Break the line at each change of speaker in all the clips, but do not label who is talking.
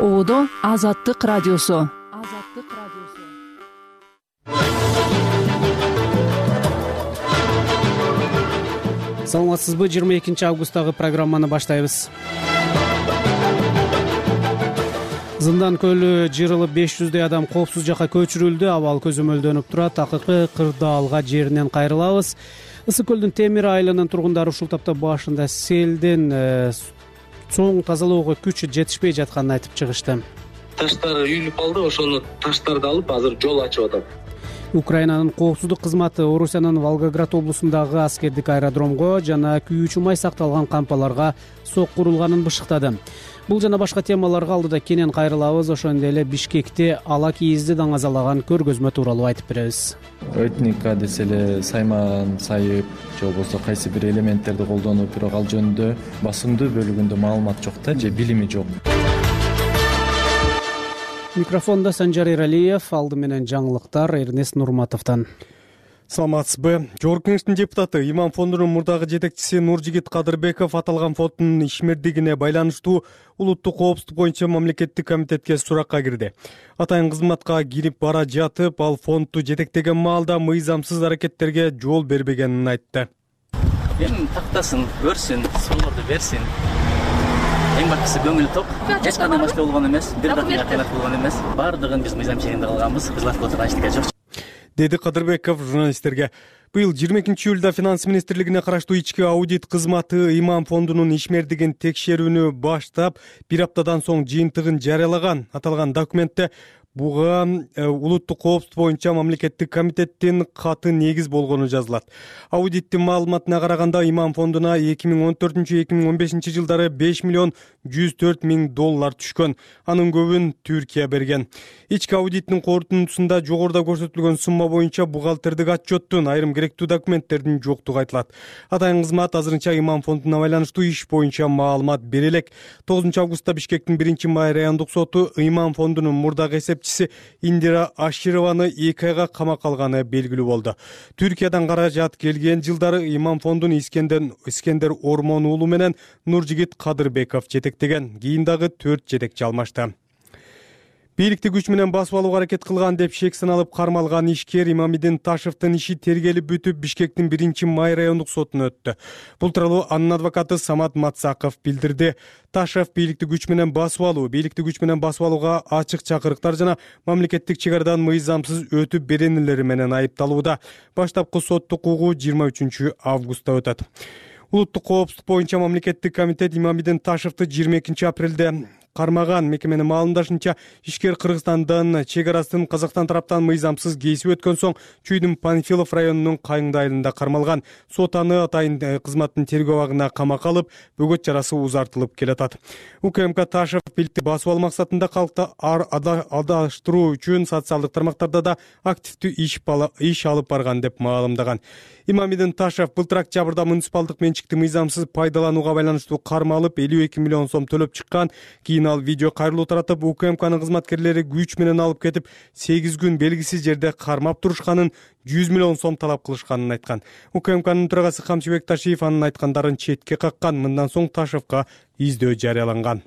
Оодо Азаттык радиосу.
Саламатсызбы? 22 августтагы программаны баштайбыз. Зындан көлү жырылып 500 адам коопсуз жакка көчүрүлдү. Абал көзөмөлдөнүп турат. Акыркы кырдаалга жеринен кайрылабыз. Ысык көлдүн Темир айылынын тургундары ушул тапта башында селден соң тазалоого күчү жетишпей жатканын айтып чыгышты.
Таштар үйүлүп калды, ошону таштарды алып азыр жол ачып атат.
Украинанын коопсуздук кызматы Орусиянын Волгоград облусундагы аскердик аэродромго жана күйүүчү май сакталган кампаларга сок курулганын бышыктады. Бул жана башка темаларга алдыда кенен кайрылабыз. Ошондой эле Бишкекте ала кийизди даңазалаган көргөзмө тууралуу айтып беребиз.
Этника десе эле сайман, сайып же болбосо кайсы бир элементтерди колдонуп, бирок ал жөнүндө басымдуу бөлүгүндө маалымат жок да, же билими жок.
Микрофондо Санжар Эралиев, алды менен жаңылыктар Эрнест Нурматовдон.
Саламатсызбы? Жогорку Кеңештин депутаты Имам фондунун мурдагы жетекчиси Нуржигит Кадырбеков аталган фонддун ишмердигине байланыштуу улуттук коопсуздук боюнча мамлекеттик комитетке суракка кирди. Атайын кызматка кирип бара жатып, ал фондду жетектеген маалда мыйзамсыз аракеттерге жол бербегенин айтты.
Эми тактасын, көрсүн, суларды берсин. Эң башкысы көңүл ток. Эч кандай маселе болгон эмес, бир дагы кыйнат болгон эмес. Бардыгын биз мыйзам чегинде кылганбыз. Кызмат кылып турган эчтеке жок.
Деди Кадырбеков журналисттерге. Быйыл 22-июлда Финанс министрлигине караштуу ички аудит кызматы Имам фондунун ишмердигин текшерүүнү баштап, бир аптадан соң жыйынтыгын жарыялаган. Аталган документте буга улуттук коопсуздук боюнча мамлекеттик комитеттин каты негиз болгону жазылат. Аудиттин маалыматына караганда Имам фондуна 2014-2015 жылдары 5 миллион 104 миң доллар түшкөн. Анын көбүн Түркия берген. Ички аудиттин корутундусунда жогоруда көрсөтүлгөн сумма боюнча бухгалтердик отчеттун айрым керектүү документтердин жоктугу айтылат. Атайын кызмат азырынча Имам фондуна байланыштуу иш боюнча маалымат бере элек. 9 августта Бишкектин 1-май райондук соту Имам фондунун мурдагы Индира Ашированы 2 айга камакка алганы белгилүү болду. Түркиядан каражат келген жылдары Имам фондун Искендер Ормон уулу менен Нуржигит Кадырбеков жетектеген. Кийин дагы 4 жетекчи алмашты. Бийликти күч менен басып алууга аракет кылган деп шек саналып кармалган ишкер Имамидин Ташевдин иши тергелип бүтүп Бишкектин 1-май райондук сотуна өттү. Бул тууралуу анын адвокаты Самат Мацаков билдирди. Ташев бийликти күч менен басып алууга ачык чакырыктар жана мамлекеттик чек арадан мыйзамсыз өтүп беренелери менен айыпталууда. Баштапкы соттук угуу 23 августта өтөт. Улуттук коопсуздук боюнча мамлекеттик комитет Имамидин Ташевди 22 апрелде кармаган. Мекеменин маалымдашынча, ишкер Кыргызстандын чек арасын Казакстан тараптан мыйзамсыз кесип өткөн соң Чүйдүн Панфилов районунун Кайыңды айылында кармалган. Сот аны атайын кызматтын тергөө абагына камакка алып, бөгөт жарасы узартылып келатат. УКМК Ташев бийликти басып алуу максатында калкты адаштыруу үчүн социалдык тармактарда да активдүү иш алып барган деп маалымдаган. Имамидин Ташев былтыр октябрда муниципалдык менчикти мыйзамсыз пайдаланууга байланыштуу кармалып 52 миллион сом төлөп чыккан. Кийин ал видео кайрылуу таратып, УКМКнын кызматкерлери күч менен алып кетип, 8 күн белгисиз жерде кармап турушканын, 100 миллион сом талап кылышканын айткан. УКМКнын төрагасы Камчыбек Ташиев анын айткандарын четке каккан. Мындан соң Ташевга издөө жарыяланган.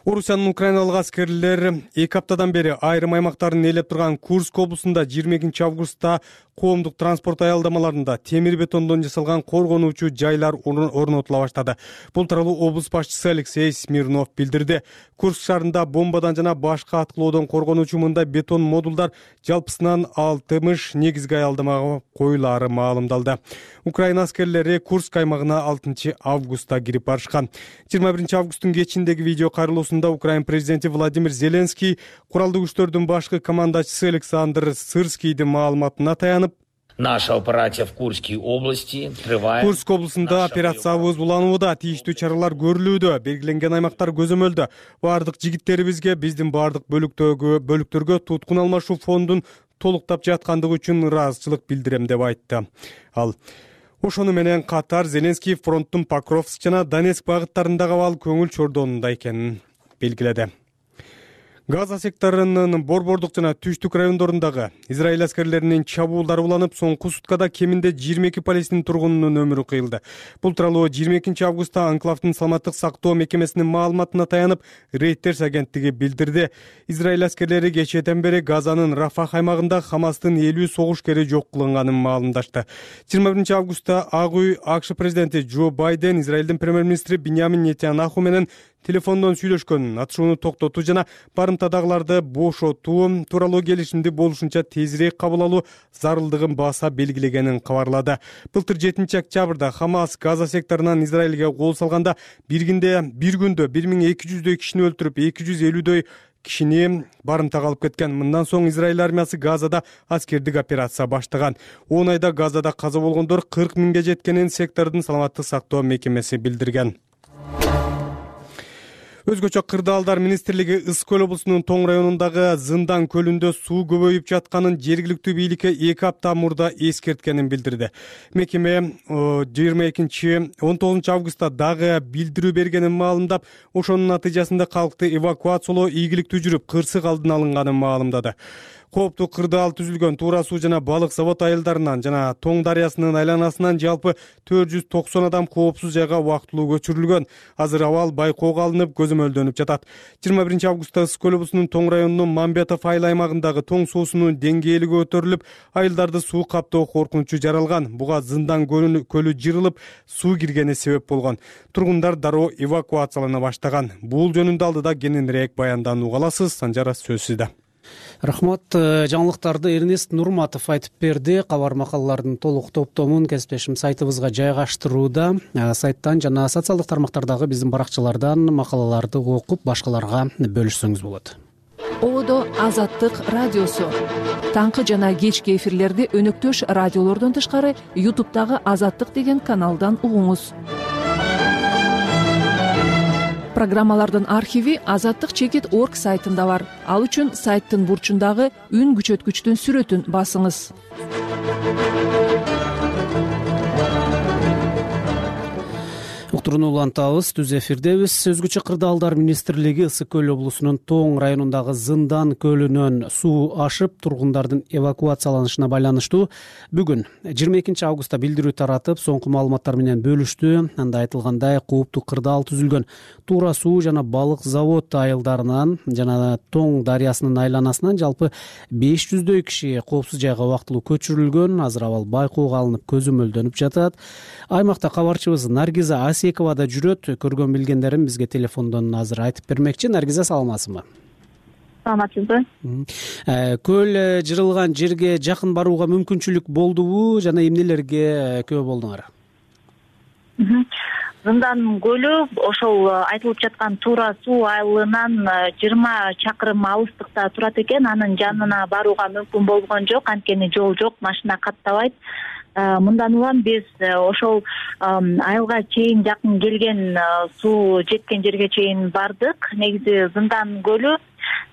Орусиянын украиналык аскерлер 2 аптадан бери айрым аймактарын ээлеп турган Курск облусунда 22 августта коомдук транспорт аялдамаларында темир бетондон жасалган коргонуучу жайлар орнотула баштады. Бул тууралуу облус башчысы Алексей Смирнов билдирди. Курск шаарында бомбадан жана башка аткылоодон коргонуучу мындай бетон модулдар жалпысынан 60 негизги аялдамага коюлаары маалымдалды. Украина аскерлери Курск аймагына 6 августта кирип барышкан. 21 августтун кечиндеги видео кайрылуусунда Украин президенти Владимир Зеленский куралдуу күчтөрдүн башкы командачысы Александр Сырскийдин маалыматына таянып,
Наша операция в Курской области трывает.
Курск облусунда операциябыз уланууда, тийиштүү чаралар көрүлүүдө, белгиленген аймактар көзөмөлдө. Бардык жигиттерибизге, биздин бардык бөлүктөргө туткун алмашуу фондун толуктап жаткандыгы үчүн ыраазычылык билдирем деп айтты. Ал ошону менен катар Зеленский фронттун Покровск жана Донецк багыттарындагы абал көңүл чордонунда экенин белгиледи. Газа секторунун борбордук жана түштүк райондорундагы Израиль аскерлеринин чабуулдары уланып, соңку суткада кеминде 22 палестин тургунунун өмүрү кыйылды. Бул тууралуу 22 августта анклавдын саламаттык сактоо мекемесинин маалыматына таянып, Reuters агенттиги билдирди. Израиль аскерлери кечээден бери Газанын Рафах аймагында Хамастын 50 согушкери жок кылынганын маалымдашты. 21 августта Ак үй АКШ президенти Джо Байден Израилдин премьер-министри Биньямин Нетаньяху менен телефондон сүйлөшкөн, атышууну токтотуу жана барымтадагыларды бошотуу тууралуу келишимди болушунча тезирээк кабыл алуу зарылдыгын баса белгилегенин кабарлады. Былтыр 7 октябрда Хамас Газа секторунан Израилге кол салганда бир күндө 1200дөй кишини өлтүрүп, 250дөй кишини барымтага алып кеткен. Мындан соң Израиль армиясы Газада аскердик операция баштаган. 10 айда Газада каза болгондор 40 миңге жеткенин сектордун саламаттык сактоо мекемеси билдирген. Өзгөчө Кырдаалдар министрлиги Ысык көл облусунун Тоң районундагы Зындан көлүндө суу көбөйүп жатканын жергиликтүү бийликке 2 апта мурда эскерткенин билдирди. Мекеме 19 августта дагы билдирүү бергенин маалымдап, ошонун натыйжасында калкты эвакуациялоо ийгиликтүү жүрүп, кырсык алдын алынганын маалымдады. Кооптуу кырдаал түзүлгөн Туура суу жана балык завод айылдарынан жана Тоң дарыясынын айланасынан жалпы 490 адам коопсуз жайга убактылуу көчүрүлгөн. Азыр абал байкоого алынып, көзөмөлдөнүп жатат. 21 августта Ысык көл облусунун Тоң районунун Мамбетов айыл аймагындагы Тоң суусунун деңгээли көтөрүлүп, айылдарды суу каптоо коркунучу жаралган. Буга Зындан көлү жырылып, суу киргени себеп болгон. Тургундар дароо эвакуациялана баштаган. Бул жөнүндө алдыда кененирээк баянданууга аласыз. Санжара, сөз сизде.
Рахмат. Жаңылыктарды Эрнест Нурматов айтып берди. Кабар макалалардын толук топтомун кесиптешим сайтыбызга жайгаштырууда. Сайттан жана социалдык тармактардагы биздин баракчалардан макалаларды окуп, башкаларга бөлүшсөңүз болот.
Одо Азаттык радиосу. Таңкы жана кечки эфирлерди өнөктөш радиолордон тышкары YouTube'дагы Азаттык деген каналдан угуңуз. Программалардын архиви azattik.org сайтында бар. Ал үчүн сайттын бурчундагы үн күчөткүчтүн сүрөтүн басыңыз. Уктурууну улантабыз, түз эфирдебиз. Өзгөчө Кырдаалдар министрлиги Ысык көл облусунун Тоң районундагы Зындан көлүнөн суу ашып, тургундардын эвакуацияланышына байланыштуу бүгүн 22 августта билдирүү таратып, соңку маалыматтар менен бөлүштү. Анда айтылгандай, кооптуу кырдаал түзүлгөн Туура суу жана балык завод айылдарынан жана Тоң дарыясынын айланасынан жалпы 500дөй киши коопсуз жайга убактылуу көчүрүлгөн. Азыр абал байкоого алынып, көзөмөлдөнүп жатат. Аймакта кабарчыбыз Наргиза Асекова да жүрөт. Көргөн билгендерин бизге телефондон азыр айтып бермекчи. Наргиза, саламатсызбы?
Саламатсызбы?
Көл жырылган жерге жакын барууга мүмкүнчүлүк болдубу жана эмнелерге күбө болдуңар?
Зындан көлү ошол айтылып жаткан Туура суу айылынан 20 чакырым алыстыкта турат экен. Анын жанына барууга мүмкүн болгон жок, анткени жол жок, машина каттабайт. Мындан улам биз ошол айылга чейин жакын келген, суу жеткен жерге чейин бардык. Негизи Зындан көлү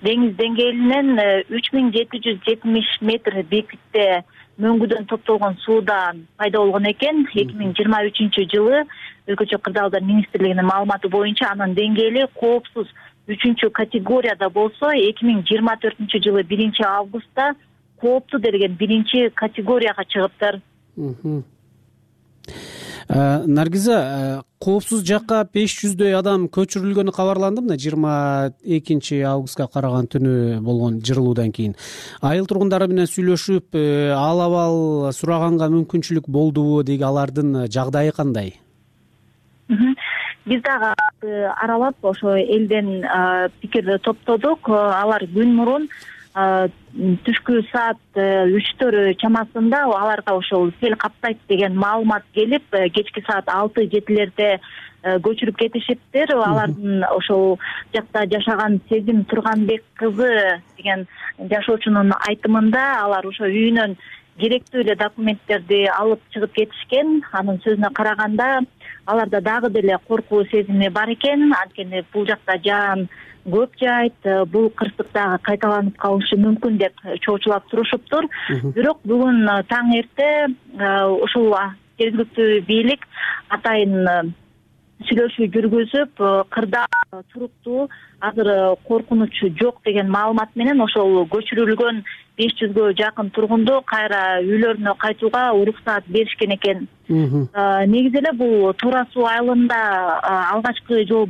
деңиз деңгээлинен 3770 метр бийиктикте мөңгүдөн топтолгон сууда пайда болгон экен. 2023 жылы Өзгөчө Кырдаалдар министрлигинин маалыматы боюнча анын деңгээли коопсуз 3 категорияда болсо, 2024 жылы 1 августта кооптуу делген 1 категорияга чыгыптыр.
Наргиза, коопсуз жакка 500дөй адам көчүрүлгөнү кабарланды мына 22 августка караган түнү болгон жырылуудан кийин. Айыл тургундары менен сүйлөшүп, ал сураганга мүмкүнчүлүк болдубу, деги алардын жагдайы кандай?
Биз дагы аралап ошо элден пикир топтодук. Алар күн мурун түшкү саат 3 чамасында аларга ошол сел каптайт деген маалымат келип, кечки саат 6-7 көчүрүп кетишиптир. Алардын ошол жакта жашаган Сезим Турганбек кызы деген жашоочунун айтымында алар ошо үйүнөн керектүү эле документтерди алып чыгып кетишкен. Анын сөзүнө караганда, аларда дагы деле коркуу сезими бар экен, анткени бул жакта жаан көп жайт, бул кырсык дагы кайталанып калышы мүмкүн деп чоочулап турушуптур. Бирок бүгүн таң эрте ушул жергиликтүү бийлик атайын сүйлөшүү жүргүзүп, кырдаал туруктуу, азыр коркунуч жок деген маалымат менен ошол көчүрүлгөн 500гө жакын тургунду кайра үйлөрүнө кайтууга уруксаат беришкен экен. Негизи эле бул Туура суу айылында алгачкы жол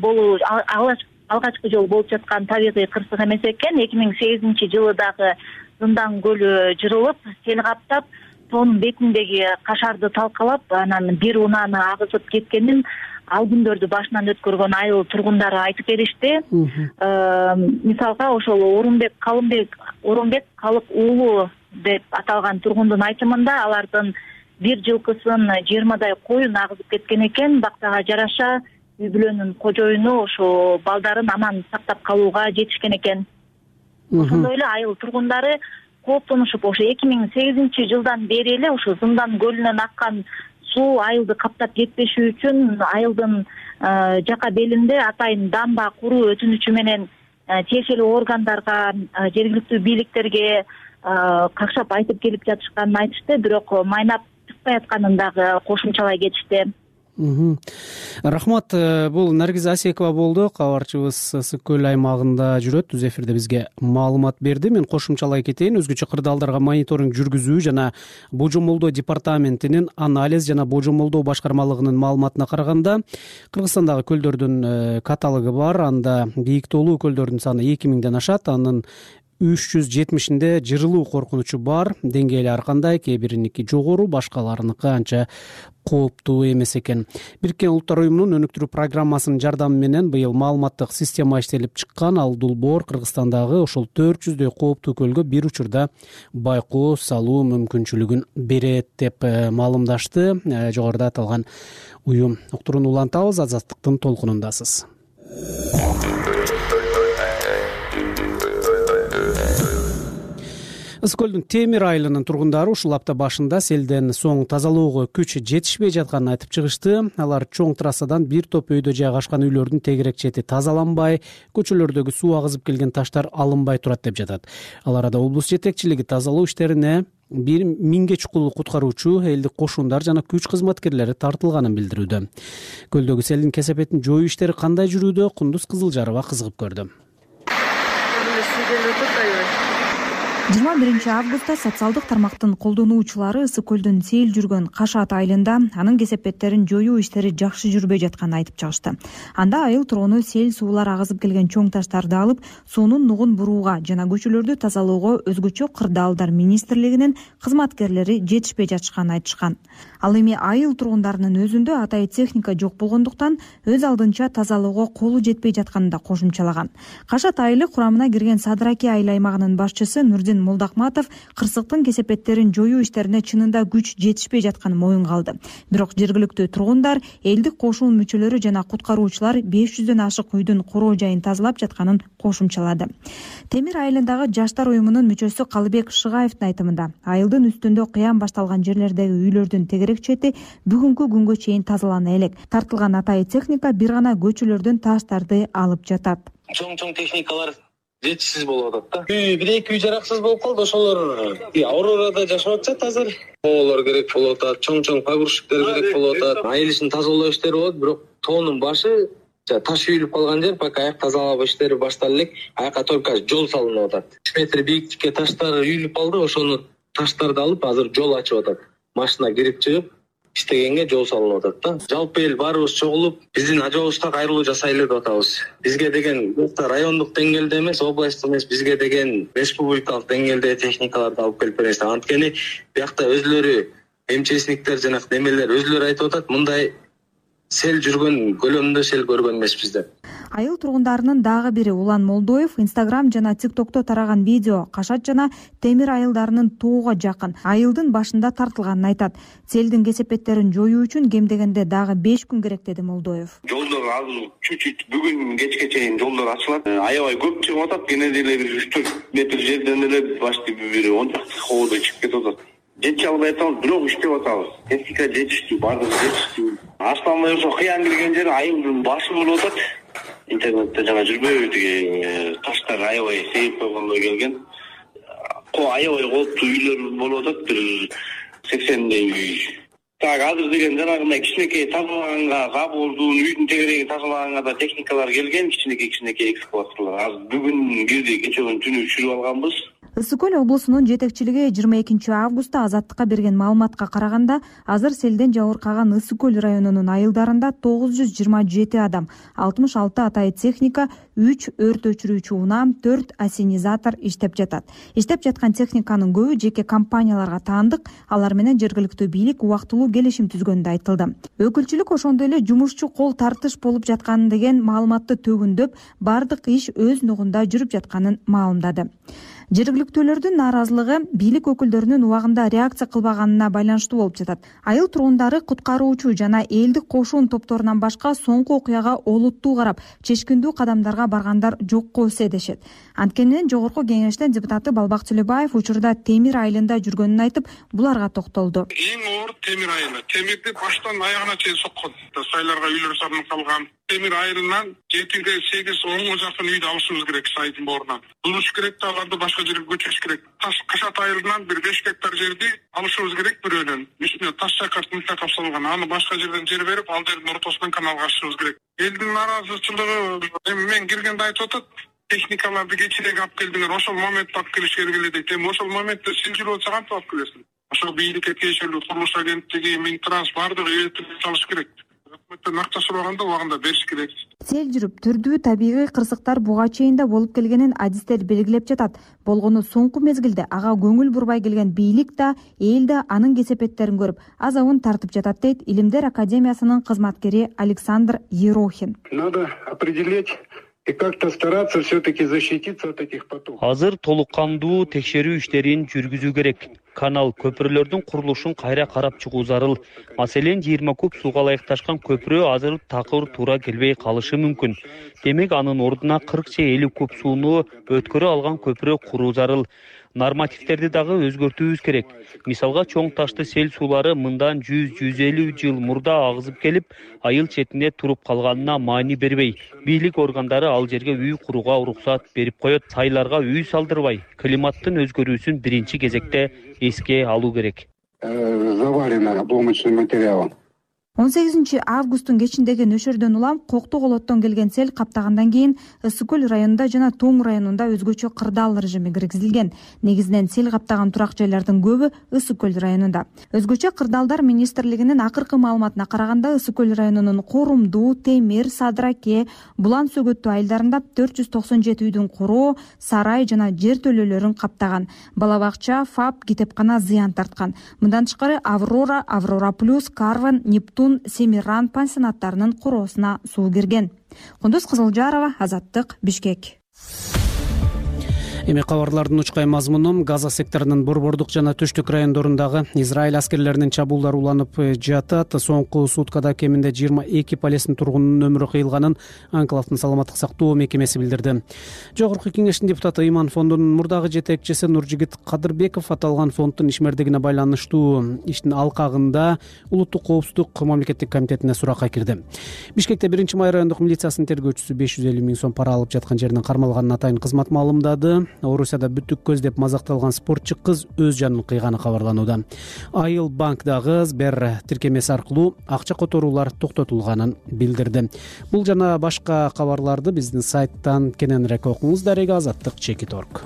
болуп жаткан табигый кырсык эмес экен. 2008-жылы дагы Зындан көлү жырылып, сел каптап, тоонун бетиндеги кашарды талкалап, анан бир унааны агызып кеткенин ал күндөрдү башынан өткөргөн айыл тургундары айтып беришти. Мисалга ошол Орунбек Калык уулу деп аталган тургундун айтымында алардын бир жылкысын 20дай коюн агызып кеткен экен. Бактага жараша үй бүлөнүн кожоюну ошо балдарын аман сактап калууга жетишкен экен. Ошондой эле айыл тургундары кооптонушуп, ошо 2008-жылдан бери эле ошо Зындан көлүнөн аккан суу айылды каптап кетпеши үчүн айылдын жака белинде атайын дамба куруу өтүнүчү менен тиешелүү органдарга, жергиликтүү бийликтерге какшап айтып келип жатышканын айтышты, бирок майнап чыкпай атканын дагы кошумчалай кетишти.
Рахмат. Бул Наргиз Асекова болду, кабарчыбыз Ысык көл аймагында жүрөт, түз эфирде бизге маалымат берди. Мен кошумчалай кетейин. Өзгөчө кырдаалдарга мониторинг жүргүзүү жана божомолдоо департаментинин анализ жана божомолдоо башкармалыгынын маалыматына караганда, Кыргызстандагы көлдөрдүн каталогу бар. Анда бийиктүүлүү көлдөрдүн саны 2000ден ашат. Анын 370-inde жырылуу коркунучу бар. Деңгээли ар кандай, кээ бириники жогору, башкаларыныкы анча кооптуу эмес экен. Бириккен Улуттар уюмунун өнүктүрүү программасынын жардамы менен быйыл маалыматтык система иштелип чыккан. Ал Долбоор Кыргызстандагы ошол 400дөй кооптуу көлгө бир учурда байкоо салуу мүмкүнчүлүгүн берет деп маалымдашты жогоруда аталган уюм. Уктурууну улантабыз, Азаттыктын толкунундасыз. Ысык көлдүн Темир айылынын тургундары ушул апта башында селден соң тазалоого күч жетишпей жатканын айтып чыгышты. Алар чоң трассадан бир топ өйдө жайгашкан үйлөрдүн тегерек чети тазаланбай, көчөлөрдөгү суу агызып келген таштар алынбай турат деп жатат. Ал арада облус жетекчилиги тазалоо иштерине 1000ге чукул куткаруучу, элдик кошундар жана күч кызматкерлери тартылганын билдирүүдө. Көлдөгү селдин кесепетин жоюу иштери кандай жүрүүдө? Кундуз Кызылжарова кызыгып көрдү.
21 августта социалдык тармактын колдонуучулары Ысык көлдүн сел жүргөн Кашат айылында анын кесепеттерин жоюу иштери жакшы жүрбөй жатканын айтып чыгышты. Анда айыл тургуну сел суулар агызып келген чоң таштарды алып, суунун нугун бурууга жана көчөлөрдү тазалоого өзгөчө Кырдаалдар министрлигинин кызматкерлери жетишпей жатышканын айтышкан. Ал эми айыл тургундарынын өзүндө атайын техника жок болгондуктан өз алдынча тазалоого колу жетпей жатканын да кошумчалаган. Кашат айылы курамына кирген Садыраки айыл аймагынын башчысы Нурдин Молдакматов кырсыктын кесепеттерин жоюу иштерине чынында күч жетишпей жатканын моюнга алды. Бирок жергиликтүү тургундар, элдик кошун мүчөлөрү жана куткаруучулар 500дөн ашык үйдүн короо жайын тазалап жатканын кошумчалады. Темир айылындагы жаштар уюмунун мүчөсү Калыбек Шыгаевдин айтымында, айылдын үстүндө кыян башталган жерлердеги үйлөрдүн тегерек чети бүгүнкү күнгө чейин тазалана элек. Тартылган атайын техника бир гана көчөлөрдөн таштарды алып жатат.
Чоң техникалар жетишсиз болуп атат да. Бир-эки үй жараксыз болуп калды. Ошолор Аурорада жашап атышат азыр. Тоолор керек болуп атат, чоң погрузчиктер керек болуп атат. Айыл ишин тазалоо иштери болот, бирок тоонун башы таш үйүлүп калган жер, пока аяк тазалоо иштери баштала элек. Аяка только жол салынып атат. 3 метр бийиктикке таштар үйүлүп калды. Ошону таштарды алып азыр жол ачып атат. Машина кирип чыгып иштегенге жол салынып атат да. Жалпы эл баарыбыз чогулуп, биздин ажообузга кайрылуу жасайлы деп атабыз. Бизге деген райондук деңгээлде эмес, областтык эмес, бизге деген республикалык деңгээлде техникаларды алып келип бересиз. Анткени биякта өзлөрү МЧСниктер жана немелер өзлөрү айтып атат, мындай сел жүргөн көлөмдө сел көргөн эмеспиз деп.
Айыл тургундарынын дагы бири Улан Молдоев Instagram жана TikTokто тараган видео Кашат жана Темир айылдарынын тоого жакын айылдын башында тартылганын айтат. Селдин кесепеттерин жоюу үчүн кем дегенде дагы 5 күн керек деди Молдоев.
Жолдор азыр чуть-чуть бүгүн кечке чейин жолдор ачылат. Аябай көп чыгып атат. Кенеде эле бир 3-4 метр жерден эле башты бир 10 хоодой чыгып кетип атат. Жетише албай атабыз, бирок иштеп атабыз. Техника жетиштүү, бардыгы жетиштүү. Асланбай ошо кыян кирген жер айылдын башы болуп атат. Интернетте жана жүрбөйбү деген таштар аябай сейип койгондой келген. Аябай кооптуу үйлөр болуп атат, бир 80дей үй. Так азыр деген жанагындай кичинекей тазалаганга забордун, үйдүн тегерегин тазалаганга да техникалар келген, кичинекей экскаваторлор. Азыр бүгүн кирди, кече түнү түшүрүп алганбыз.
Ысык көл облусунун жетекчилиги 22 августта Азаттыкка берген маалыматка караганда, азыр селден жабыркаган Ысык көл районунун айылдарында 927 адам, 66 атайын техника, 3 өрт өчүрүүчү унаа, 4 ассенизатор иштеп жатат. Иштеп жаткан техниканын көбү жеке компанияларга таандык, алар менен жергиликтүү бийлик убактылуу келишим түзгөнү да айтылды. Өкүлчүлүк ошондой эле жумушчу кол тартыш болуп жаткан деген маалыматты төгүндөп, бардык иш өз нугунда жүрүп жатканын маалымдады. Жергиликтүүлөрдүн нааразылыгы бийлик өкүлдөрүнүн убагында реакция кылбаганына байланыштуу болуп жатат. Айыл тургундары куткаруучу жана элдик кошун топторунан башка соңку окуяга олуттуу карап, чечкиндүү кадамдарга баргандар жокко эсе дешет. Анткени жогорку кеңештин депутаты Балбак Төлөбаев учурда Темир айылында жүргөнүн айтып, буларга токтолду.
Эң оор Темир айылы. Темирди баштан аягына чейин соккон. Сайларга үйлөр салынып калган. Темир айылынан 7-8-10 жакын үйдү алышыбыз керек сайдын боорунан. Дуруш керек да аларды башка жерге көчүрүш керек. Кашат айылынан 5 гектар жерди алышыбыз керек бирөөнөн. Үстүнө таш чакырт мылтакап салган. Аны башка жерден жер берип, ал жердин ортосунан каналга ачышыбыз керек. Элдин нааразычылыгы эми мен киргенде айтып атат. Техникаларды кечирээк алып келдиңер, ошол моментте алып келишке керек дейт. Эми ошол моментте сен жүрүп атсаң кантип алып келесиң? Ошол бийликке тиешелүү курулуш агенттиги, Минтранс бардыгы үйрөтүп салыш керек. Өкмөттөн акча сураганда убагында бериш керек.
Сел жүрүп түрдүү табигый кырсыктар буга чейин да болуп келгенин адистер белгилеп жатат. Болгону соңку мезгилде ага көңүл бурбай келген бийлик да, эл да анын кесепеттерин көрүп, азабын тартып жатат дейт Илимдер академиясынын кызматкери Александр Ерохин.
Надо определить и как-то стараться все-таки защититься от этих потоков.
Азыр толук кандуу текшерүү иштерин жүргүзүү керек. Канал, көпүрөлөрдүн курулушун кайра карап чыгуу зарыл. Маселен, 20 куб сууга ылайыкташкан көпүрө азыр такыр туура келбей калышы мүмкүн. Демек, анын ордуна 40-50 куб сууну өткөрө алган көпүрө куруу зарыл. Нормативдерди дагы өзгөртүүбүз керек. Мисалга, чоң ташты сел суулары мындан 100-150 жыл мурда агызып келип, айыл четине туруп калганына маани бербей, бийлик органдары ал жерге үй курууга уруксат берип коет. Сайларга үй салдырбай, климаттын өзгөрүүсүн биринчи кезекте эске алуу керек.
Завалено обломочным материалом.
18 августтун кечиндеги нөшөрдөн улам Кокту колоттон келген сел каптагандан кийин Ысык көл районунда жана Тоң районунда өзгөчө кырдаал режими киргизилген. Негизинен сел каптаган турак жайлардын көбү Ысык көл районунда. Өзгөчө кырдаалдар министрлигинин акыркы маалыматына караганда Ысык көл районунун Корумду, Темир, Садыраке, Булан Сөгөттүү айылдарында 497 үйдүн куроо, сарай жана жер төлөөлөрүн каптаган. Бала бакча, ФАП, китепкана зыян тарткан. Мындан тышкары Аврора, Аврора плюс, Карван, Нептун, Семиран пансионаттарынын куроосуна суу кирген. Кундуз Кызылжарова, Азаттык, Бишкек.
Эми кабарлардын учкай мазмуну: Газа секторунун борбордук жана түштүк райондорундагы Израиль аскерлеринин чабуулдары уланып жатат. Соңку суткада кеминде 22 Палестин тургунунун өмүрү кыйылганын Анклавдын саламаттык сактоо мекемеси билдирди. Жогорку кеңештин депутаты Иман фондунун мурдагы жетекчиси Нуржигит Кадырбеков аталган фонддун ишмердигине байланыштуу иштин алкагында улуттук коопсуздук мамлекеттик комитетине суракка кирди. Бишкекте 1-май райондук милициясынын тергөөчүсү 550 000 сом пара алып жаткан жеринен кармалганын атайын кызмат маалымдады. Орусияда бүттүк көз деп мазакталган спортчу кыз өз жанын кыйганы кабарланууда. Айыл банкдагы Сбер тиркемеси аркылуу акча которуулар токтотулганын билдирди. Бул жана башка кабарларды биздин сайттан кененирээк окуңуз. Дарега Азаттык-Чекит.org.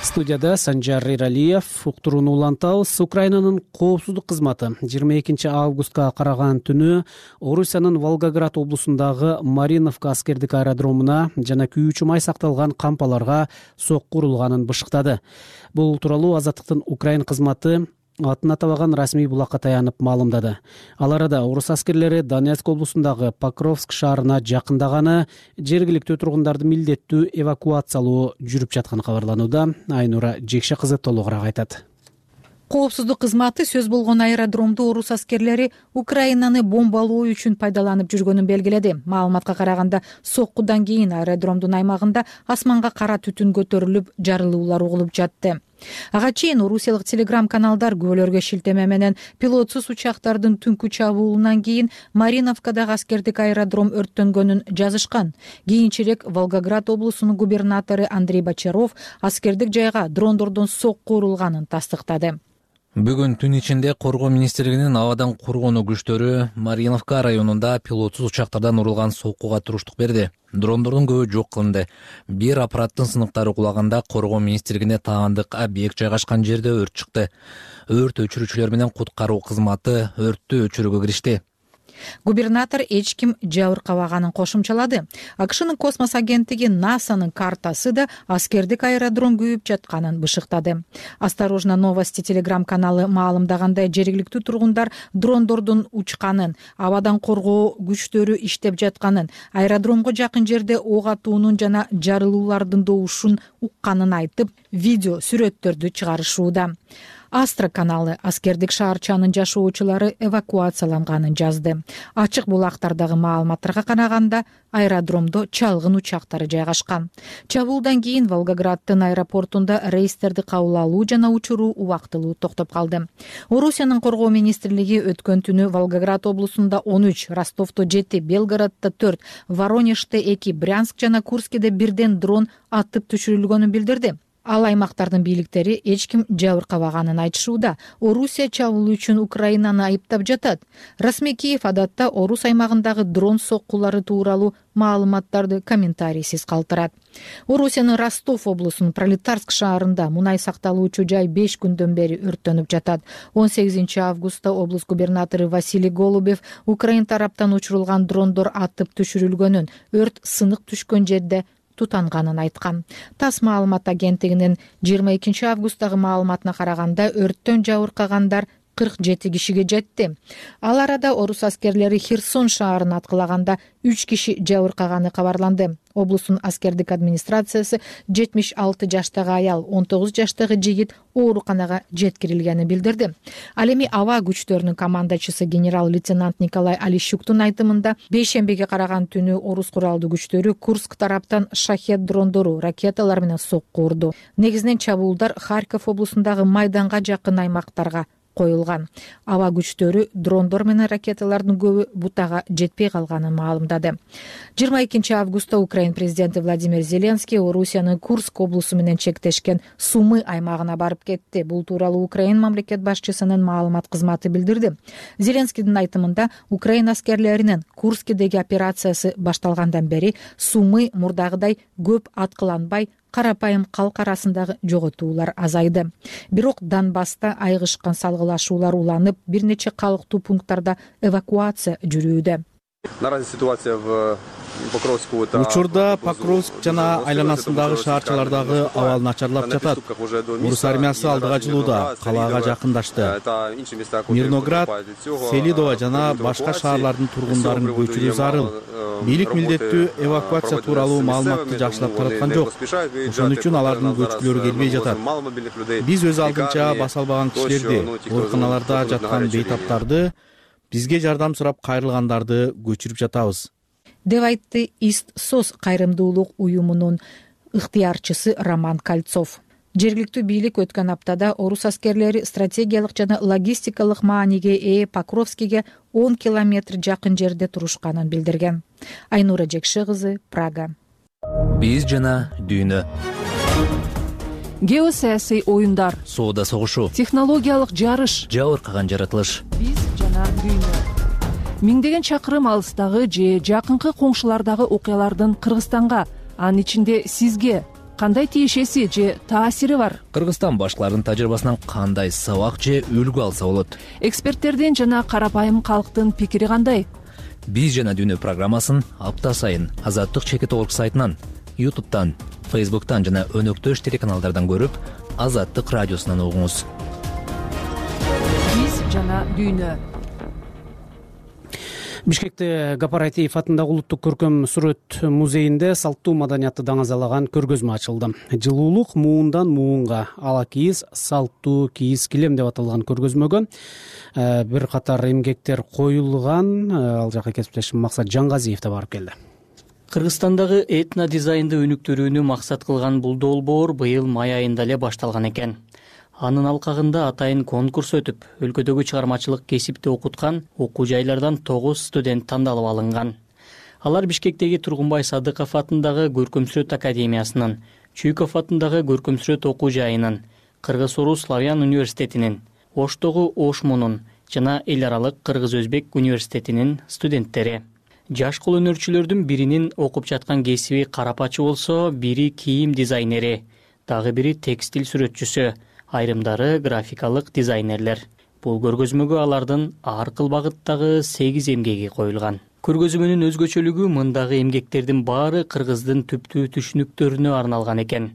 Студияда Санжар Иралиев. Уктурууну улантабыз. Украинанын коопсуздук кызматы 22 августка караган түнү Орусиянын Волгоград облусундагы Мариновка аскердик аэродромуна жана күйүүчү май сакталган кампаларга сокку урулганын бышыктады. Бул тууралуу Азаттыктын Украин кызматы атын атабаган расмий булакка таянып маалымдады. Ал арада орус аскерлери Донецк облусундагы Покровск шаарына жакындаганы, жергиликтүү тургундарды милдеттүү эвакуациялоо жүрүп жатканы кабарланууда. Айнура Жекше кызы толугураак айтат.
Коопсуздук кызматы сөз болгон аэродромду орус аскерлери Украинаны бомбалоо үчүн пайдаланып жүргөнүн белгиледи. Маалыматка караганда, соккудан кийин аэродромдун аймагында асманга кара түтүн көтөрүлүп, жарылуулар угулуп жатты. Ага чейин орусиялык телеграм-каналдар күбөлөргө шилтеме менен пилотсуз учактардын түнкү чабуулунан кийин Мариновкадагы аскердик аэродром өрттөнгөнүн жазышкан. Кийинчерээк Волгоград облусунун губернатору Андрей Бочаров аскердик жайга дрондордон сокку урулганын тастыктады.
Бүгүн түн ичинде Коргоо министрлигинин абадан коргонуу күчтөрү Мариновка районунда пилотсуз учактардан урулган соккуга туруштук берди. Дрондордун көбү жок кылынды. Бир аппараттын сыныктары кулаганда Коргоо министрлигине таандык объект жайгашкан жерде өрт чыкты. Өрт өчүрүүчүлөр менен куткаруу кызматы өрттү өчүрүүгө киришти.
Губернатор эч ким жабыркабаганын кошумчалады. АКШнын космос агенттиги НАСАнын картасы да аскердик аэродром күйүп жатканын бышыктады. Осторожно новости телеграм-каналы маалымдагандай, жергиликтүү тургундар дрондордун учканын, абадан коргоо күчтөрү иштеп жатканын, аэродромго жакын жерде ок атуунун жана жарылуулардын добушун укканын айтып, видео сүрөттөрдү чыгарышууда. Астра каналы аскердик шаарчанын жашоочулары эвакуацияланганын жазды. Ачык булактардагы маалыматтарга караганда, аэродромдо чалгын учактары жайгашкан. Чабуулдан кийин Волгограддын аэропортунда рейстерди кабыл алуу жана учуруу убактылуу токтоп калды. Орусиянын коргоо министрлиги өткөн түнү Волгоград облусунда 13, Ростовдо 7, Белгороддо 4, Воронеждо 2, Брянск жана Курскиде бирден дрон атып түшүрүлгөнүн билдирди. Ал аймактардын бийликтери эч ким жабыркабаганын айтышууда. Орусия чабуул үчүн Украинаны айыптап жатат. Расмий Киев адатта Орус аймагындагы дрон соккулары тууралуу маалыматтарды комментарийсиз калтырат. Орусиянын Ростов облусунун Пролетарск шаарында мунай сакталуучу жай 5 күндөн бери өрттөнүп жатат. 18 августта облус губернатору Василий Голубев Украин тараптан учурулган дрондор атып түшүрүлгөнүн, өрт сынык түшкөн жерде тутанганын айткан. ТАСС маалымат агенттигинин 22 августтагы маалыматына караганда, өрттөн жабыркагандар 47 кишиге жетти. Ал арада орус аскерлери Херсон шаарын аткылаганда 3 киши жабыркаганы кабарланды. Облустун аскердик администрациясы 76 жаштагы аял, 19 жаштагы жигит ооруканага жеткирилгенин билдирди. Ал эми аба күчтөрүнүн командачысы генерал-лейтенант Николай Алищуктун айтымында, бейшембиге караган түнү орус куралдуу күчтөрү Курск тараптан шахет дрондору, ракеталар менен сокку урду. Негизинен чабуулдар Харьков облусундагы Майданга жакын аймактарга коюлган. Аба күчтөрү дрондор менен ракеталардын көбү бутага жетпей калганын маалымдады. 22 августта Украин президенти Владимир Зеленский Орусиянын Курск облусу менен чектешкен Сумы аймагына барып кетти. Бул тууралуу Украин мамлекет башчысынын маалымат кызматы билдирди. Зеленскийдин айтымында, Украин аскерлеринин Курскидеги операциясы башталгандан бери Сумы мурдагыдай көп аткыланбай, карапайым калк арасындагы жоготуулар азайды. Бирок Донбасста айгышкан салгылашуулар уланып, бир нече калктуу пункттарда эвакуация жүрүүдө.
Учурда Покровск жана айланасындагы шаарчалардагы абал начарлап жатат. Орус армиясы алдыга жылууда, калаага жакындашты. Мирноград, Селидово жана башка шаарлардын тургундарын көчүрүү зарыл. Бийлик милдеттүү эвакуация тууралуу маалыматты жакшылап тараткан жок. Ошон үчүн алардын көчкүлөрү келбей жатат. Биз өз алдынча баса албаган кишилерди, ооруканаларда жаткан бейтаптарды, бизге жардам сурап кайрылгандарды көчүрүп жатабыз,
деп айтты Ист-СОС кайрымдуулук уюмунун ыктыярчысы Роман Кольцов. Жергиликтүү бийлик өткөн аптада орус аскерлери стратегиялык жана логистикалык мааниге ээ Покровскиге 10 километр жакын жерде турушканын билдирген. Айнура Жекши кызы, Прага.
Биз жана дүйнө.
Геосаясий оюндар,
соода согушу,
технологиялык жарыш,
жабыркаган жаратылыш.
Биз жана дүйнө. Миңдеген чакырым алыстагы же жакынкы коңшулардагы окуялардын Кыргызстанга, анын ичинде сизге кандай тиешеси же таасири бар?
Кыргызстан башкалардын тажрыйбасынан кандай сабак же үлгү алса болот?
Эксперттердин жана карапайым калктын пикири кандай?
Биз жана дүйнө программасын апта сайын Азаттык чекит орг сайтынан, YouTube'дан, Facebook'tan жана өнөктөш телеканалдардан көрүп, Азаттык радиосунан угуңуз.
Биз жана дүйнө.
Бишкекте Гапарайтиев атындагы улуттук көркөм сүрөт музейинде салттуу маданиятты даңазалаган көргөзмө ачылды. Жылуулук муундан муунга, ала кийиз салттуу кийиз килем деп аталган көргөзмөгө бир катар эмгектер коюлган. Ал жака кесиптешим Максат Жаңгазиев да барып келди.
Кыргызстандагы этно дизайнды өнүктүрүүнү максат кылган бул долбоор быйыл май айында эле башталган экен. Анын алкагында атайын конкурс өтүп, өлкөдөгү чыгармачылык кесипти окуткан окуу жайлардан 9 студент тандалып алынган. Алар Бишкектеги Тургунбай Садыков атындагы Көркөм сүрөт академиясынын, Чуйков атындагы Көркөм сүрөт окуу жайынын, Кыргыз-Орус славян университетинин, Оштогу ОШМУнун жана эл аралык Кыргыз-Өзбек университетинин студенттери. Жаш колөнөрчүлөрдүн биринин окуп жаткан кесиби карапачы болсо, бири кийим дизайнери, дагы бири текстиль сүрөтчүсү, айрымдары графикалык дизайнерлер. Бул көргөзмөгө алардын ар кыл багыттагы 8 эмгеги коюлган. Көргөзмөнүн өзгөчөлүгү мындагы эмгектердин баары кыргыздын түптүү түшүнүктөрүнө арналган экен.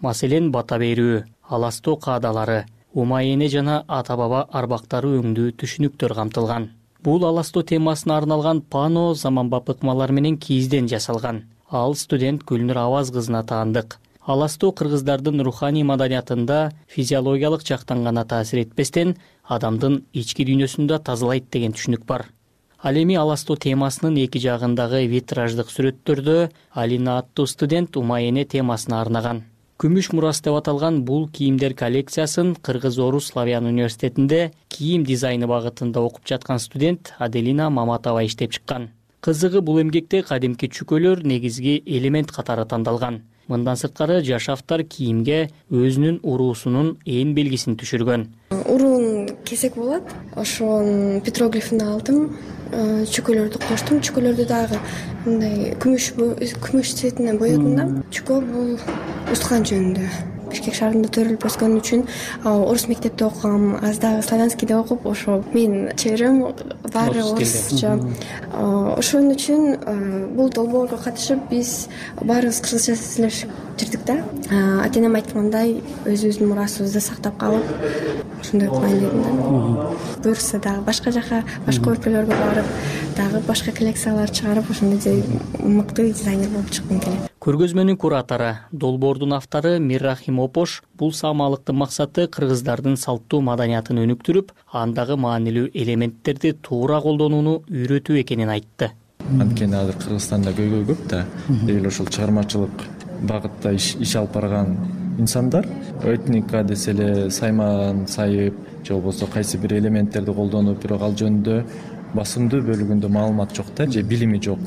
Маселен, бата берүү, аластоо каадалары, умайене жана ата-баба арбактары өңдүү түшүнүктөр камтылган. Бул аластоо темасына арналган пано заманбап ыкмалар менен кийизден жасалган. Ал студент Гүлнур Аваз кызына таандык. Аластоо кыргыздардын руханий маданиятында физиологиялык жактан гана таасир этпестен, адамдын ички дүйнөсүндө тазалайт деген түшүнүк бар. Ал эми аластоо темасынын эки жагындагы витраждык сүрөттөрдө Алина аттуу студент умайене темасына арнаган. Күмүш мурас деп аталган бул кийимдер коллекциясын Кыргыз-Орус славян университетинде кийим дизайны багытында окуп жаткан студент Аделина Маматова иштеп чыккан. Кызыгы, бул эмгекте кадимки чүкөлөр негизги элемент катары тандалган. Мындан сырткары жаш автор кийимге өзүнүн уруусунун ээн белгисин түшүргөн.
Уруун кесек болот. Ошонун петроглифин алдым. Чүкөлөрдү коштум. Чүкөлөрдү дагы мындай күмүш цветине боёдум да. Чүкө бул устган жөнүндө. Бишкек шаарында төрөлүп өскөн үчүн орус мектепте окугам, аз дагы славянскийде окуп, ошо менин чеберем баары орусча. Ошон үчүн бул долбоорго катышып биз баарыбыз кыргызча сүйлөшүп жүрдүк да. Ата-энем айткандай өзүбүздүн мурасыбызды сактап калып, ошондой кылайын дедим да. Буюрса дагы башка жака, башка өлкөлөргө барып, дагы башка коллекциялар чыгарып, ошондой мыкты дизайнер болуп чыккым келет.
Көргөзмөнүн куратору, долбоордун автору Миррахим Опош бул саамалыктын максаты кыргыздардын салттуу маданиятын өнүктүрүп, андагы маанилүү элементтерди туура колдонууну үйрөтүү экенин айтты.
Анткени азыр Кыргызстанда көйгөй көп да, дегил ошол чыгармачылык багытта иш алып барган инсандар этника десе эле сайман сайып же болбосо кайсы бир элементтерди колдонуп, бирок ал жөнүндө басымдуу бөлүгүндө маалымат жок да, же билими жок.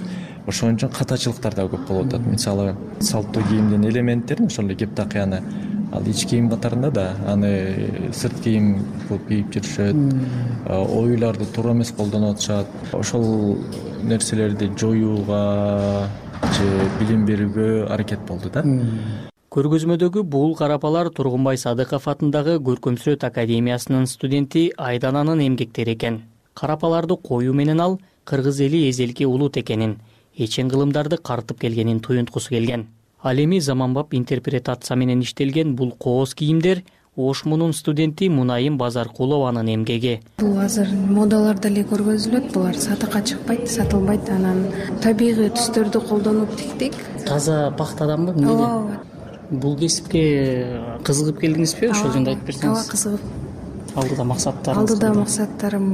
Ошон үчүн катачылыктар да көп болуп атат. Мисалы, салттуу кийимдин элементтерин, ошол эле кептакыяны ал ич кийим катарында да аны сырт кийим кылып кийип жүрүшөт, оюларды туура эмес колдонуп атышат. Ошол нерселерди жоюуга же билим берүүгө аракет болду да.
Көргөзмөдөгү бул карапалар Тургунбай Садыков атындагы Көркөм сүрөт академиясынын студенти Айдананын эмгектери экен. Карапаларды коюу менен ал кыргыз эли эзелки улут экенин, эчен кылымдарды картып келгенин туюнткусу келген. Ал эми заманбап интерпретация менен иштелген бул кооз кийимдер ОШМУнун студенти Мунайым Базаркулованын эмгеги.
Бул азыр модаларда эле көргөзүлөт, булар сатыкка чыкпайт, сатылбайт. Анан табигый түстөрдү колдонуп тиктик.
Таза пахтаданбы?
Ооба.
Бул кесипке кызыгып келдиңизби? Ошол жөнүндө айтып берсеңиз.
Ооба, кызыгып.
Алдыда максаттарыңыз?
Алдыда максаттарым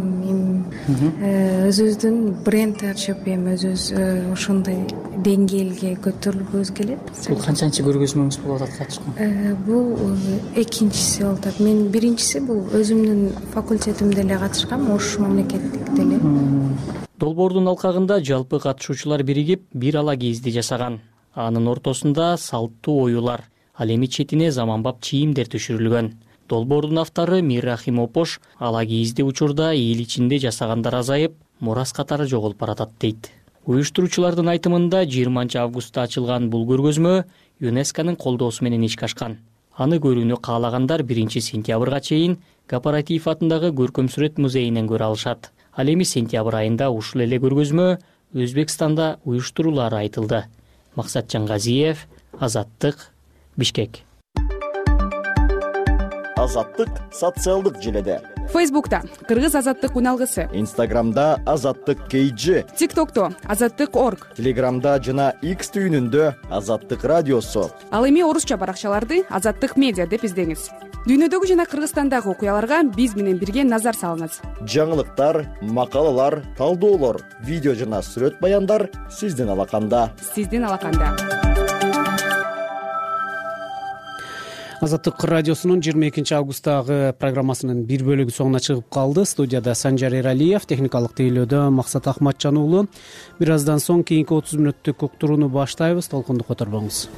өзүбүздүн бренд ачып, эми өзүбүз ошондой деңгээлге көтөрүлгүбүз келет.
Бул канчанчы көргөзмөңүз болуп атат катышкан?
Бул экинчиси болуп атат. Мен биринчиси бул өзүмдүн факультетимде эле катышкам, Ош мамлекеттикте эле.
Долбоордун алкагында жалпы катышуучулар биригип бир ала кийизди жасаган. Анын ортосунда салттуу оюлар, ал эми четине заманбап чийимдер түшүрүлгөн. Долбоордун автору Миррахим Опош ала кийизди учурда эл ичинде жасагандар азайып, мурас катары жоголуп баратат дейт. Уюштуруучулардын айтымында 20 августта ачылган бул көргөзмө ЮНЕСКОнун колдоосу менен ишке ашкан. Аны көрүүнү каалагандар 1 сентябрга чейин Кооператив атындагы Көркөм сүрөт музейинен көрө алышат. Ал эми сентябрь айында ушул эле көргөзмө Өзбекстанда уюштурулары айтылды. Максатжан Газиев, Азаттык, Бишкек.
Азаттык социалдык желеде.
Фейсбукта Кыргыз азаттык уналгысы.
Инстаграмда Азаттык KG.
ТикТокто Азаттык.org.
Телеграмда жана X түйүнүндө Азаттык радиосу.
Ал эми орусча баракчаларды Азаттык медиа деп издеңиз. Дүйнөдөгү жана Кыргызстандагы окуяларга биз менен бирге назар салыңыз.
Жаңылыктар, макалалар, талдоолор, видео жана сүрөт баяндар сиздин алаканда.
Азаттык радиосунун 22 августтагы программасынын бир бөлүгү соңуна чыгып калды. Студияда Санжар Эралиев, техникалык тейлөөдө Максат Ахматжан уулу. Бир аздан соң кийинки 30 мүнөттүк уктурууну баштайбыз. Толкунду которбоңуз.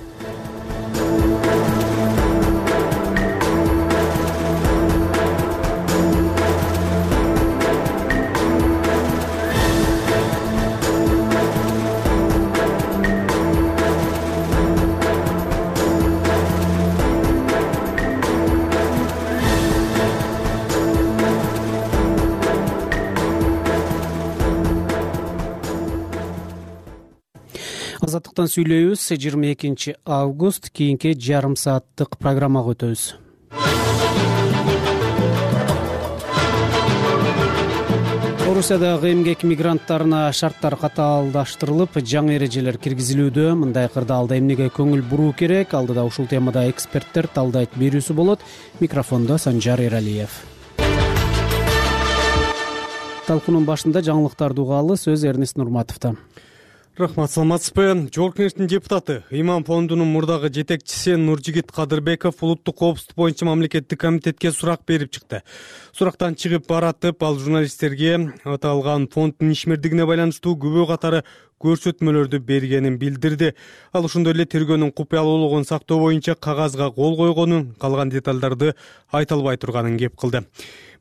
Азаттыктан сүйлөйбүз. 22 август кийинки жарым сааттык программага өтөбүз. Орусиядагы эмгек мигранттарына шарттар катаалдаштырылып, жаңы эрежелер киргизилүүдө. Мындай кырдаалда эмнеге көңүл буруу керек? Алдыда ушул темада эксперттер талдайт берүүсү болот. Микрофондо Санжар Эралиев. Талкуунун башында жаңылыктарды угалы, сөз Эрнест Нурматовдо.
Рахмат, саламатсызбы? Жогорку Кеңештин депутаты, Имам фондунун мурдагы жетекчиси Нуржигит Кадырбеков улуттук коопсуздук боюнча мамлекеттик комитетке сурак берип чыкты. Сурактан чыгып баратып, ал журналисттерге аталган фонддун ишмердигине байланыштуу күбө катары көрсөтмөлөрдү бергенин билдирди. Ал ошондой эле тергөөнүн купуялуулугун сактоо боюнча кагазга кол койгонун, калган деталдарды айта албай турганын кеп кылды.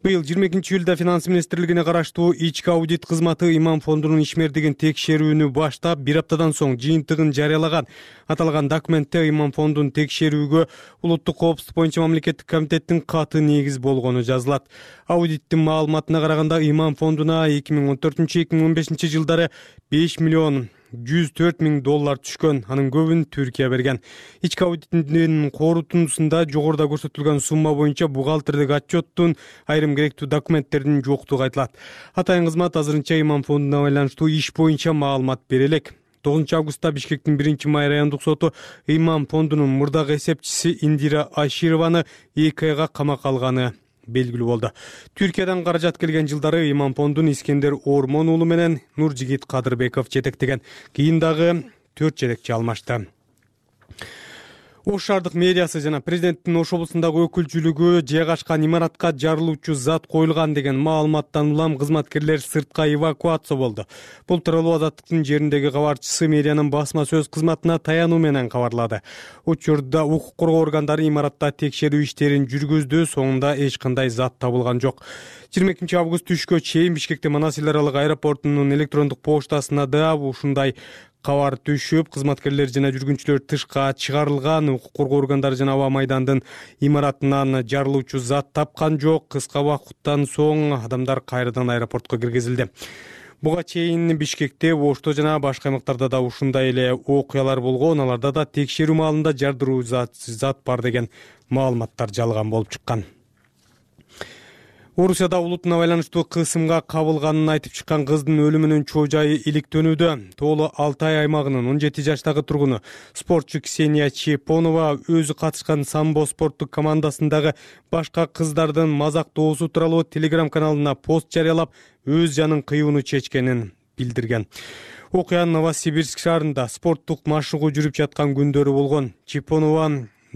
Быйыл 22-июлда Финанс министрлигине караштуу ички аудит кызматы Имам фондунун ишмердигин текшерүүнү баштап, бир аптадан соң жыйынтыгын жарыялаган. Аталган документте Имам фондун текшерүүгө улуттук коопсуздук боюнча мамлекеттик комитеттин каты негиз болгону жазылат. Аудиттин маалыматына караганда, Имам фондуна 2014-2015 жылдары 5 миллион 104 миң доллар түшкөн, анын көбүн Түркия берген. Ички аудиттин корутундусунда жогоруда көрсөтүлгөн сумма боюнча бухгалтердик отчеттун, айрым керектүү документтердин жоктугу айтылат. Атайын кызмат азырынча Имам фондуна байланыштуу иш боюнча маалымат бере элек. 9 августта Бишкектин 1-май райондук соту Имам фондунун мурдагы эсепчиси Индира Ашированы 2 айга камакка алганы белгилүү болду. Түркиядан каражат келген жылдары Имам фондун Искендер Ормон уулу менен Нуржигит Кадырбеков жетектеген. Кийин дагы 4 жетекчи алмашты. Ош шаардык мэриясы жана президенттин Ош облусундагы өкүлчүлүгү жайгашкан имаратка жарылуучу зат коюлган деген маалыматтан улам кызматкерлер сыртка эвакуация болду. Бул тууралуу Азаттыктын жериндеги кабарчысы мэриянын басма сөз кызматына таянуу менен кабарлады. Учурда укук коргоо органдары имаратта текшерүү иштерин жүргүздү, соңунда эч кандай зат табылган жок. 22 август түшкө чейин Бишкекте Манас эл аралык аэропортунун электрондук поштасына да ушундай кабар түшүп, кызматкерлер жана жүргүнчүлөр тышка чыгарылган. Укук коргоо органдары жана аба майдандын имаратынан жарылуучу зат тапкан жок. Кыска убакыттан соң адамдар кайрадан аэропортко киргизилди. Буга чейин Бишкекте, Ошто жана башка аймактарда да ушундай эле окуялар болгон. Аларда да текшерүү маалында жардыруу зат бар деген маалыматтар жалган болуп чыккан. Орусияда улутуна байланыштуу кысымга кабылганын айтып чыккан кыздын өлүмүнүн чоо жайы иликтөнүүдө. Тоолу Алтай аймагынын 17 жаштагы тургуну спортчу Ксения Чепонова өзү катышкан самбо спорттук командасындагы башка кыздардын мазактоосу тууралуу Telegram каналына пост жарыялап, өз жанын кыюуну чечкенин билдирген. Окуя Новосибирск шаарында спорттук машыгуу жүрүп жаткан күндөрү болгон. Чепонова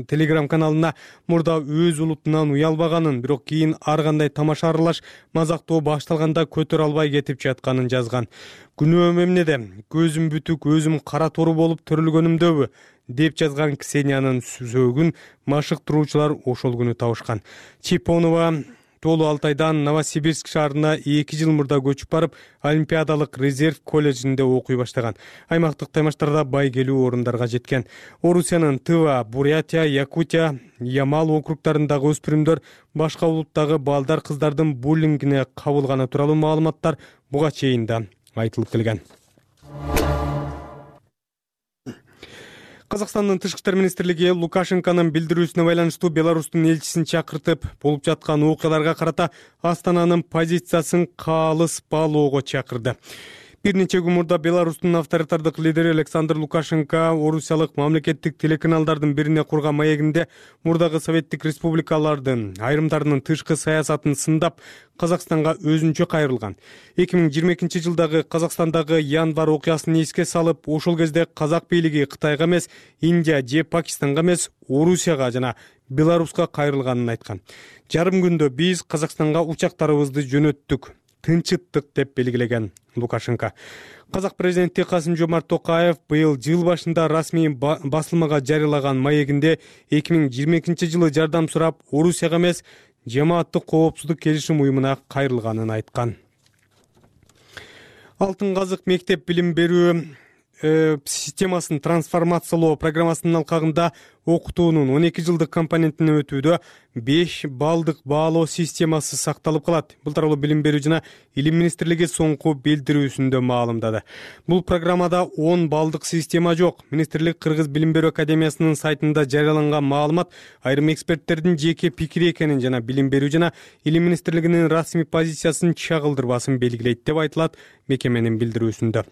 Telegram каналына мурда өз улутунан уялбаганын, бирок кийин ар кандай тамаша аралаш мазактоо башталганда көтөрө албай кетип жатканын жазган. Күнөөм эмнеде? Көзүм бүтүк, өзүм кара тору болуп төрөлгөнүмдөбү? деп жазган Ксениянын сөөгүн машыктыруучулар ошол күнү табышкан. Чепонова Тоолу Алтайдан Новосибирск шаарына 2 жыл мурда көчүп барып, Олимпиадалык резерв колледжинде окуй баштаган. Аймактык таймаштарда байгелүү орундарга жеткен. Орусиянын Тыва, Бурятия, Якутия, Ямал округдарындагы өспүрүмдөр башка улуттагы балдар кыздардын буллингине кабылганы тууралуу маалыматтар буга чейин да айтылып келген. Казакстандын Тышкы иштер министрлиги Лукашенконун билдирүүсүнө байланыштуу Беларустун элчисин чакыртып, болуп жаткан окуяларга карата Астананын позициясын калыс баалоого чакырды. Бир нече күн мурда Беларустун авторитардык лидери Александр Лукашенко орусиялык мамлекеттик телеканалдардын бирине курган маегинде мурдагы советтик республикалардын айрымдарынын тышкы саясатын сындап, Казакстанга өзүнчө кайрылган. 2022 жылдагы Казакстандагы январь окуясын эске салып, ошол кезде казак бийлиги Кытайга эмес, Индия же Пакистанга эмес, Орусияга жана Беларуска кайрылганын айткан. Жарым күндө биз Казакстанга учактарыбызды жөнөттүк, тынчыттык деп белгилеген Лукашенко. Казак президенти Касым-Жомарт Токаев быйыл жыл башында расмий басылмага жарыялаган маегинде 2022 жылы жардам сурап, Орусияга эмес, Жамааттык коопсуздук келишим уюмуна кайрылганын айткан. Алтын казык мектеп билим берүү системасын трансформациялоо программасынын алкагында окутуунун 12 жылдык компонентине өтүүдө 5 баллдык баалоо системасы сакталып калат. Бул тууралуу Билим берүү жана Илим министрлиги соңку билдирүүсүндө маалымдады. Бул программада 10 баллдык система жок. Министрлик Кыргыз Билим берүү академиясынын сайтында жарыяланган маалымат айрым эксперттердин жеке пикири экенин жана Билим берүү жана Илим министрлигинин расмий позициясын чагылдырбасын белгилейт деп айтылат мекеменин билдирүүсүндө.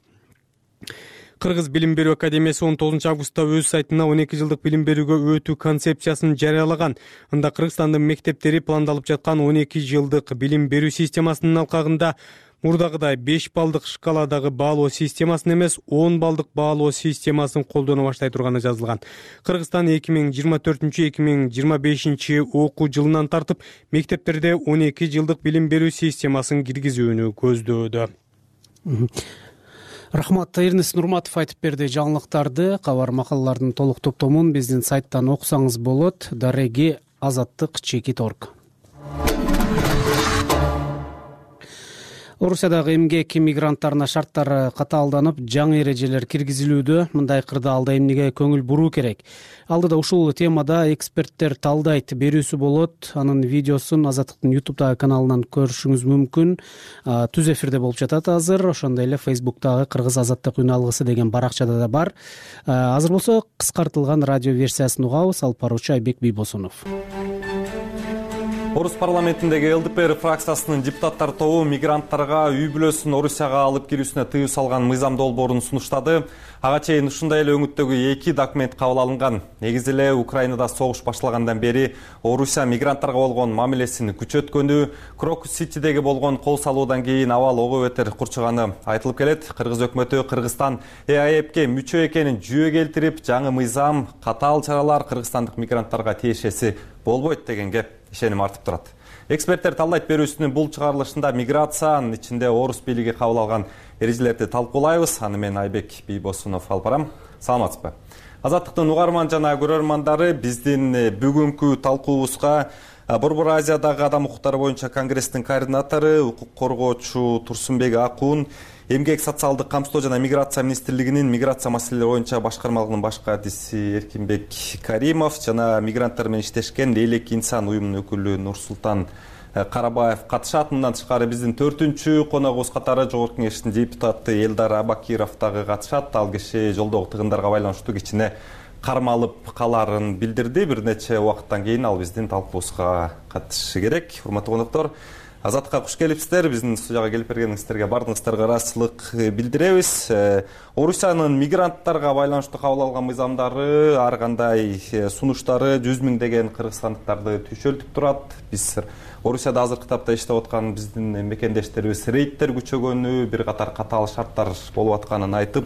Кыргыз Билим берүү академиясы 19 августта өз сайтына 12 жылдык билим берүүгө өтүү концепциясын жарыялаган. Анда Кыргызстандын мектептери пландалып жаткан 12 жылдык билим берүү системасынын алкагында мурдагыдай 5 баллдык шкаладагы баалоо системасын эмес 10 баллдык баалоо системасын колдоно баштай турганы жазылган. Кыргызстан 2024-2025 окуу жылынан тартып мектептерде 12 жылдык билим берүү системасын киргизүүнү көздөөдө.
Рахмат, Эрнест Нурматов айтып берди жаңылыктарды. Кабар макалалардын толук топтомун биздин сайттан окусаңыз болот. Дареги Азаттык Чекит.org. Орусиядагы эмгек мигранттарына шарттар катаалданып, жаңы эрежелер киргизилүүдө. Мындай кырдаалда эмнеге көңүл буруу керек? Алдыда ушул темада эксперттер талдайт берүүсү болот. Анын видеосун Азаттыктын YouTube'дагы каналынан көрүшүңүз мүмкүн. Түз эфирде болуп жатат азыр. Ошондой эле Facebook'тагы Кыргыз Азаттык үн алгысы деген баракчада да бар. Азыр болсо кыскартылган радио версиясын угабыз. Алып баруучу Айбек Бийбосунов.
Орус парламентиндеги ЛДПР фракциясынын депутаттар тобу мигранттарга үй бүлөсүн Орусияга алып кирүүсүнө тыюу салган мыйзам долбоорун сунуштады. Ага чейин ушундай эле өңүттөгү 2 документ кабыл алынган. Негизи эле Украинада согуш башталгандан бери Орусия мигранттарга болгон мамилесин күчөткөнү, Крокус-Ситидеги болгон кол салуудан кийин абал ого бетер курчуганы айтылып келет. Кыргыз өкмөтү Кыргызстан ЭАЭПке мүчө экенин жүйө келтирип, жаңы мыйзам, катаал чаралар кыргызстандык мигранттарга тиешеси болбойт дегенге ишеним артып турат. Эксперттер талдайт берүүсүнүн бул чыгарылышында миграция, анын ичинде орус бийлиги кабыл алган эрежелерди талкуулайбыз. Аны мен Айбек Бийбосунов алып барам. Саламатсызбы? Азаттыктын угарман жана көрөрмандары, биздин бүгүнкү талкуубузга Борбор Азиядагы адам укуктары боюнча конгресстин координатору, укук коргоочу Турсунбек Акун, Эмгек социалдык камсыздоо жана миграция министрлигинин миграция маселелери боюнча башкармалыгынын баш катчысы Эркинбек Каримов жана мигранттар менен иштешкен Элек инсан уюмунун өкүлү Нурсултан Карабаев катышат. Мындан тышкары биздин 4-чү коногубуз катары Жогорку Кеңештин депутаты Элдар Абакиров дагы катышат. Ал киши жолдогу тыгындарга байланыштуу кичине кармалып каларын билдирди. Бир нече убакыттан кийин ал биздин талкуубузга катышышы керек. Урматтуу коноктор, Азаттыкка куш келипсиздер. Биздин студияга келип бергениңиздерге бардыгыңыздарга ыраазычылык билдиребиз. Орусиянын мигранттарга байланыштуу кабыл алган мыйзамдары, ар кандай сунуштары 100 миңдеген кыргызстандыктарды түйшөлтүп турат. Биз Орусияда азыркы тапта иштеп аткан биздин мекендештерибиз рейдтер күчөгөнү, бир катар катаал шарттар болуп атканын айтып,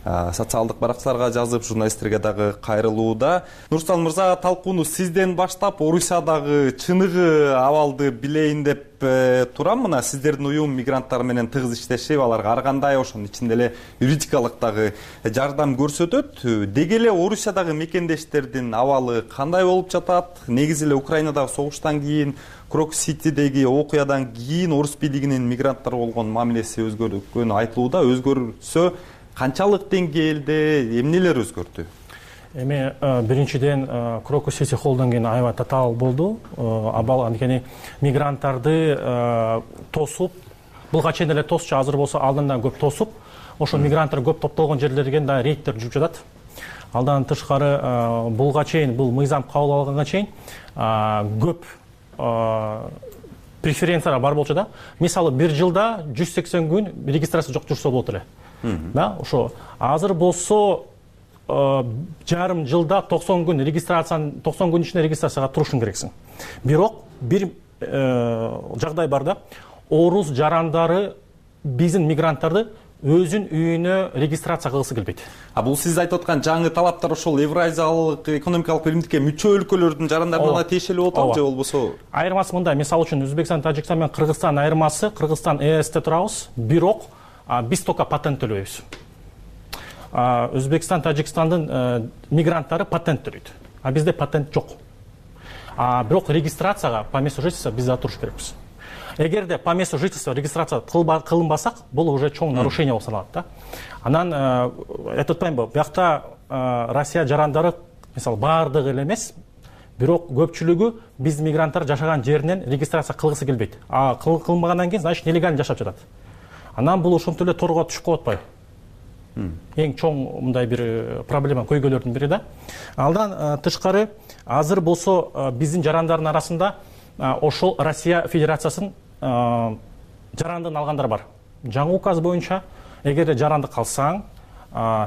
социалдык баракчаларга жазып, журналисттерге дагы кайрылууда. Нурсултан мырза, талкууну сизден баштап, Орусиядагы чыныгы абалды билейин деп турам. Мына сиздердин уюм мигранттар менен тыгыз иштешип, аларга ар кандай, ошонун ичинде эле юридикалык дагы жардам көрсөтөт. Деги эле Орусиядагы мекендештердин абалы кандай болуп жатат? Негизи эле Украинадагы согуштан кийин, Крокус-Ситидеги окуядан кийин орус бийлигинин мигранттарга болгон мамилеси өзгөргөнү айтылууда. Өзгөрсө канчалык деңгээлде, эмнелер өзгөрдү?
Эми биринчиден Крокус-Сити холлдон кийин аябай татаал болду. Абал анткени мигранттарды тосуп, булга чейин эле тосчу, азыр болсо алдынан көп тосуп, ошо мигранттар көп топтолгон жерлерге да рейдтер жүрүп жатат. Алдан тышкары булга чейин, бул мыйзам кабыл алганга чейин көп преференциялар бар болчу да. Мисалы, бир жылда 180 күн регистрация жок жүрсө болот эле. Да, ошо азыр болсо жарым жылда 90 күн регистрацияны 90 күн ичинде регистрацияга турушуң керексиң. Бирок бир жагдай бар да. Орус жарандары биздин мигранттарды өзүнүн үйүнө регистрация кылгысы келбейт.
Бул сиз айтып аткан жаңы талаптар ошол Евразиялык экономикалык биримдикке мүчө өлкөлөрдүн жарандарына тиешелүү болот же болбосо?
Айырмасы мындай. Мисалы үчүн Өзбекстан, Тажикстан менен Кыргызстан айырмасы, Кыргызстан ЭСте турабыз, бирок биз только патент төлөйбүз. Өзбекстан, Тажикстандын мигранттары патент төлөйт. Бизде патент жок. Бирок регистрацияга по месту жительства биз да туруш керекпиз. эгерде по месту жительства регистрация кылынбасак, бул уже чоң нарушение болуп саналат да. Анан айтып атпаймынбы, биякта Россия жарандары мисалы баардыгы эле эмес, бирок көпчүлүгү биз мигранттар жашаган жеринен регистрация кылгысы келбейт. Кылынбагандан кийин, значит, нелегально жашап жатат. Анан бул ошентип эле торго түшүп калып атпайбы? Эң чоң мындай бир проблема көйгөйлөрдүн бири да. Алдан тышкары азыр болсо биздин жарандардын арасында ошол Россия Федерациясынын жарандыгын алгандар бар. Жаңы указ боюнча, эгерде жарандык алсаң,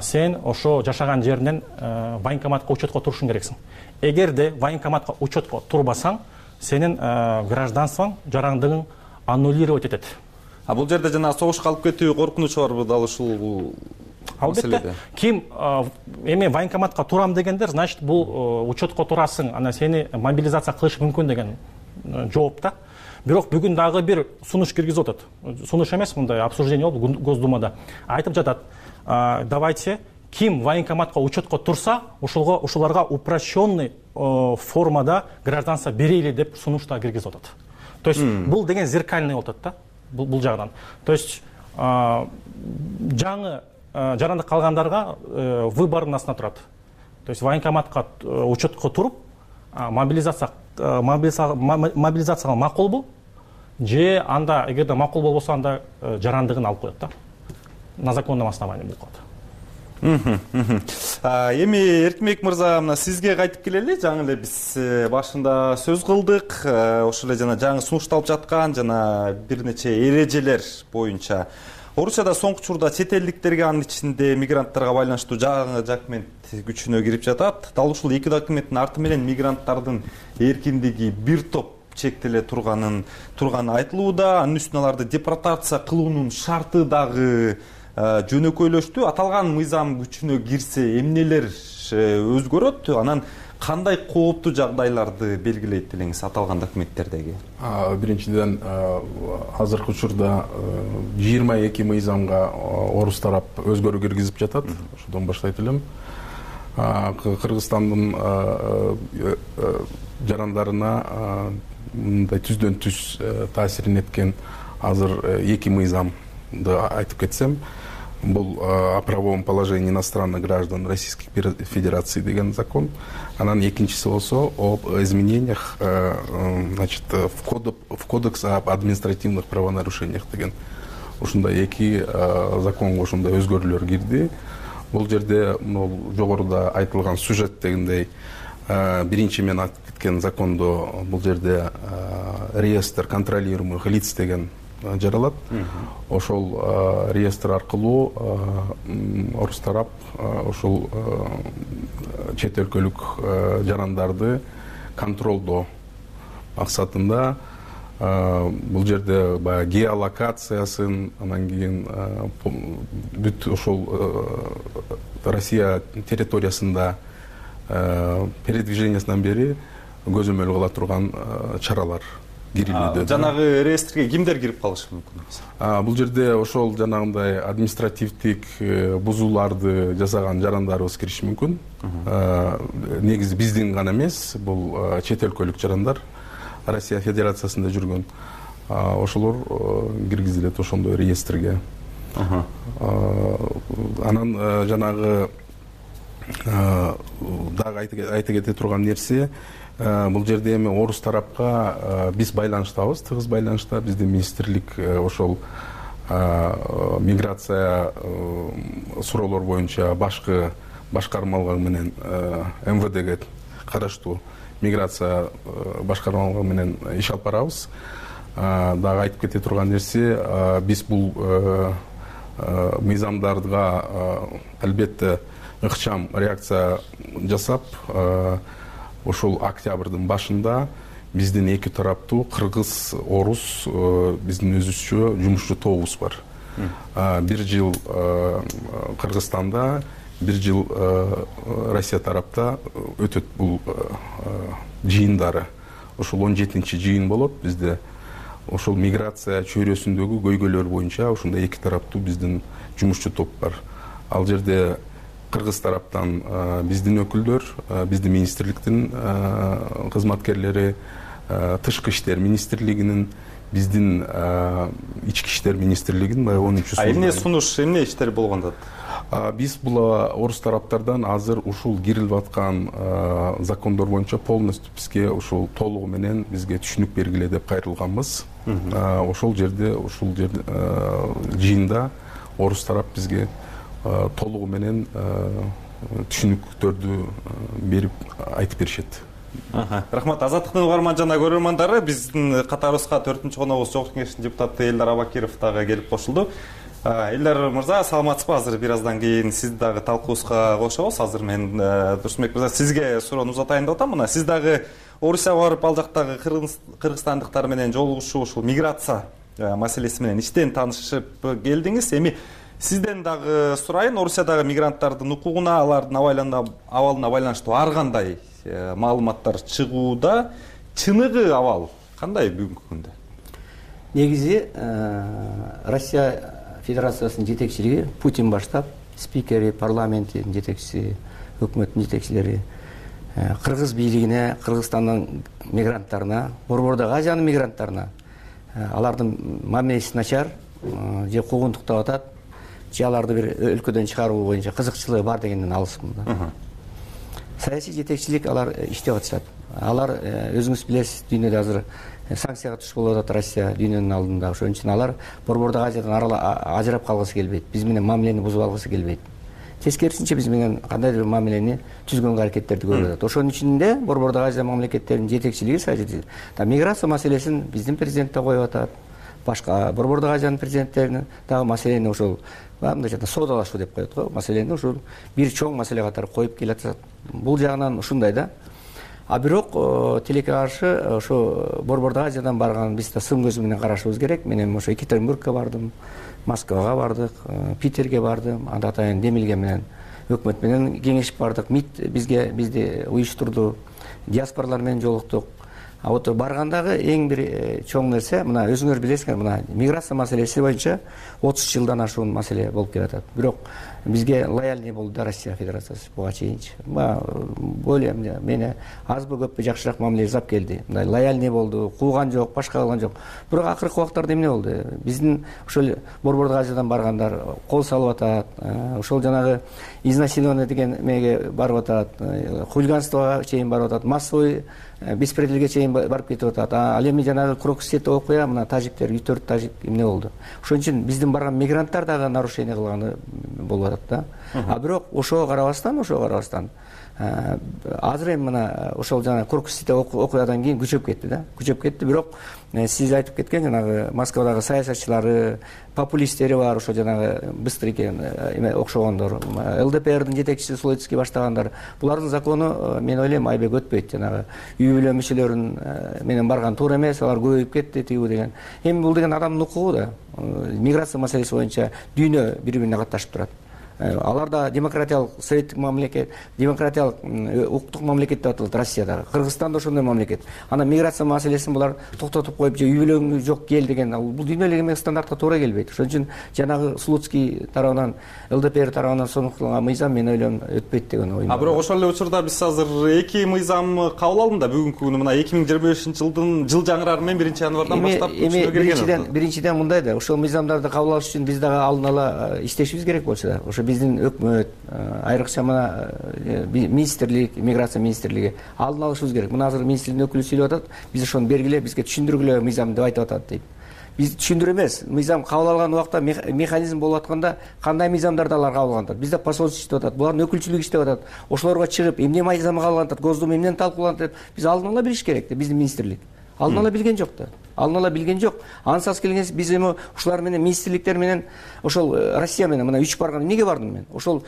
сен ошо жашаган жеринен военкоматка учетко турушуң керексиң. Эгерде военкоматка учетко турбасаң, сенин гражданствоң, жарандыгың аннулировать этет.
Бул жерде жана согушка алып кетүү коркунучу барбы дал ушул?
Албетте. Ким эми военкоматка турам дегендер, значит, бул учетко турасың, анан сени мобилизация кылышы мүмкүн деген жооп да. Бирок бүгүн дагы бир сунуш киргизип атат. Сунуш эмес, мындай обсуждение болду Госдумада. Айтып жатат, давайте ким военкоматка учетко турса, ушуларга упрощенный формада гражданство берели деп сунушта киргизип атат. То есть бул деген зеркальный болуп атат да, бул жагынан. То есть жаңы жарандык калгандарга выбордун астына турат. То есть военкоматка учетко туруп, мобилизацияга макулбу, же анда эгерде макул болбосо, анда жарандыгын алып коет да. На законном основании бул калат.
Эми Эркинбек мырза, мына сизге кайтып келели. Жаңы эле биз башында сөз кылдык. Ошол эле жана жаңы сунушталып жаткан жана бир нече эрежелер боюнча Орусияда соңку учурда чет элдиктерге, анын ичинде мигранттарга байланыштуу жаңы документ күчүнө кирип жатат. Дал ушул эки документтин арты менен мигранттардын эркиндиги бир топ чектеле турганы айтылууда. Анын үстүнө аларды депортация кылуунун шарты дагы жөнөкөйлөштү. Аталган мыйзам күчүнө кирсе эмнелер өзгөрөт? Анан кандай кооптуу жагдайларды белгилейт элеңиз аталган документтердеги?
Биринчиден, азыркы учурда 22 мыйзамга орус тарап өзгөрүү киргизип жатат. Ошодон баштайт элем. Кыргызстандын жарандарына мындай түздөн түз таасирин эткен азыр 2 мыйзамды айтып кетсем, бул о правовом положении иностранных граждан Российской Федерации деген закон. Анан экинчиси болсо об изменениях, значит, в кодекс об административных правонарушениях деген. Ушундай эки законго ушундай өзгөрүүлөр кирди. Бул жерде жогоруда айтылган сюжет дегендей, биринчи мен айтып кеткен закондо бул жерде реестр контролируемых лиц деген жаралат. Ошол реестр аркылуу орус тарап ошол чет өлкөлүк жарандарды контролдоо максатында бул жерде баягы геолокациясын, анан кийин бүт ошол Россия территориясында передвижениясынан бери көзөмөл кыла турган чаралар кирилүүдө.
Жанагы реестрге кимдер кирип калышы мүмкүн?
Бул жерде ошол жанагындай административдик бузууларды жасаган жарандарыбыз кириши мүмкүн. Негизи биздин гана эмес, бул чет өлкөлүк жарандар Россия Федерациясында жүргөн. Ошолор киргизилет ошондой реестрге. Анан жанагы дагы айта кете турган нерсе, бул жерде эми орус тарапка биз байланыштабыз, тыгыз байланышта. Биздин министрлик ошол миграция суроолор боюнча башкы башкармалыгы менен МВДге караштуу миграция башкармалыгы менен иш алып барабыз. Дагы айтып кете турган нерсе, биз бул мыйзамдарга албетте ыкчам реакция жасап, ошол октябрдын башында биздин эки тараптуу кыргыз, орус биздин өзүбүзчө жумушчу тобубуз бар. 1 жыл Кыргызстанда, 1 жыл Россия тарапта өтөт бул жыйындары. Ошол 17-чи жыйын болот бизде. Ошол миграция чөйрөсүндөгү көйгөйлөр боюнча ошондой эки тараптуу биздин жумушчу топ бар. Ал жерде кыргыз тараптан биздин өкүлдөр, биздин министрликтин кызматкерлери, тышкы иштер министрлигинин, биздин ички иштер министрлигинин баягы 10-су
эмне сунуш, эмне иштер болгондо?
Биз бул орус тараптардан азыр ушул кирилип аткан закондор боюнча полностью бизге ушул толугу менен бизге түшүнүк бергиле деп кайрылганбыз. Ошол жерде жыйында орус тарап бизге толугу менен түшүнүктөрдү берип айтып беришет.
Рахмат. Азаттыктын угарман жана көрөрмандары, биздин катарыбызга 4-коногубуз Жогорку Кеңештин депутаты Элдар Абакиров дагы келип кошулду. Элдар мырза, саламатсызбы? Азыр бир аздан кийин сизди дагы талкуубузга кошобуз. Азыр мен Турсунбек мырза сизге суроону узатайын деп атам. Мына сиз дагы Орусияга барып, ал жактагы кыргызстандыктар менен жолугушуу, ушул миграция маселеси менен иштен таанышып келдиңиз. Эми сизден дагы сурайын, Орусиядагы мигранттардын укугуна, алардын абалына байланыштуу ар кандай маалыматтар чыгууда, чыныгы абал кандай бүгүнкү күндө?
Негизи Россия Федерациясынын жетекчилиги Путин баштап, спикери, парламенттин жетекчиси, өкмөттүн жетекчилери кыргыз бийлигине, Кыргызстандын мигранттарына, Борбордогу Азиянын мигранттарына алардын мамилеси начар, же куугунтуктап атат, же аларды бир өлкөдөн чыгаруу боюнча кызыкчылыгы бар дегенден алысмын да. Саясий жетекчилик алар иштеп атышат. Алар өзүңүз билесиз, дүйнөдө азыр санкцияга туш болуп атат Россия дүйнөнүн алдында. Ошон үчүн алар Борбордогу Азиядан ажырап калгысы келбейт. Биз менен мамилени бузуп алгысы келбейт. Тескерисинче биз менен кандайдыр бир мамилени түзгөнгө аракеттерди көрүп атат. Ошонун ичинде Борбордогу Азия мамлекеттеринин жетекчилиги миграция маселесин биздин президент да коюп атат. Башка Борбордогу Азиянын президенттеринин дагы маселени ошол мындайча соодалашуу деп коет го. Маселени ушул бир чоң маселе катары коюп келатат. Бул жагынан ушундай да. А бирок тилекке каршы ошо Борбордогу Азиядан барган биз да сын көзү менен карашыбыз керек. Мен ошо Екатеринбургка бардым, Москвага бардык, Питерге бардым, анда атайын Демилге менен өкмөт менен кеңешип бардык. МИД бизди уюштурду, диаспоралар менен жолуктук. А вот баргандагы эң бир чоң нерсе, мына өзүңөр билесиңер, мына миграция маселеси боюнча 30 жылдан ашуун маселе болуп келатат. Бирок бизге лояльный болду да Россия Федерациясы буга чейинчи. Ойлойм, мени азбы көппү жакшыраак мамиле жасап келди. Мындай лояльный болду, кууган жок, башка кылган жок. Бирок акыркы убактарда эмне болду? Биздин ошол Борбордогу Азиядан баргандар кол салып атат, ошол жанагы изнасилование деген меге барып атат, хулиганствого чейин барып атат, массовый беспределге чейин барып кетип атат. Ал эми жанагы Крокусте окуя, мына тажиктер 4 тажик эмне болду? Ошон үчүн биздин барган мигранттар дагы нарушение кылганы болуп атат да. А бирок ошого карабастан азыр эми мына ошол жана Крокусте окуядан кийин күчөп кетти да. Күчөп кетти, бирок сиз айтып кеткен жанагы Москвадагы саясатчылары, популисттери бар, ошо жанагы быстрыйке окшогондор, ЛДПРдин жетекчиси Слоцкий баштагандар. Булардын закону мен ойлойм айбек өтпөйт. Жанагы үй бүлө мүчөлөрүн менен барган туура эмес, алар көбөйүп кетти тигүү деген. Эми бул деген адамдын укугу да. Миграция маселеси боюнча дүйнө бири-бирине катташып турат. Алар да демократиялык советтик мамлекет, демократиялык укуктук мамлекет деп аталат Россиядагы. Кыргызстан да ошондой мамлекет. Ана миграция маселесин булар токтотуп коюп, же үй бүлөң жок кел деген, бул дүйнөлүк эмес стандартка туура келбейт. Ошон үчүн жанагы Слуцкий тарабынан, ЛДПР тарабынан сонукталган мыйзам мен ойлойм өтпөйт деген оюм.
А бирок ошол эле учурда биз азыр 2 мыйзам кабыл алдым да бүгүнкү күнү мына 2025-жылдын жыл жаңырары менен 1-январдан баштап күчүнө кирген.
Биринчиден мындай да, ошол мыйзамдарды кабыл алыш үчүн биз дагы алдын ала иштешибиз керек болчу да. Ошо биздин өкмөт, айрыкча мына министрлик, миграция министрлиги алдын алышыбыз керек. Мына азыр министрликтин өкүлү сүйлөп атат, биз ошону бергиле, бизге түшүндүргүлө мыйзам деп айтып атат дейт. Биз түшүндүрө эмес, мыйзам кабыл алган убакта механизм болуп атканда кандай мыйзамдарды алар кабыл алган атат. Бизде посольство иштеп атат, булардын өкүлчүлүгү иштеп атат. Ошолорго чыгып, эмне мыйзам кабыл алган атат, Госдума эмнени талкууланат деп биз алдын ала билиш керек да, биздин министрлик. Алдын ала билген жок да. Алдын ала билген жок. Ансыз келгенде биз эми ушулар менен министрликтер менен ошол Россия менен мына 3 барган. Эмнеге бардым мен? Ошол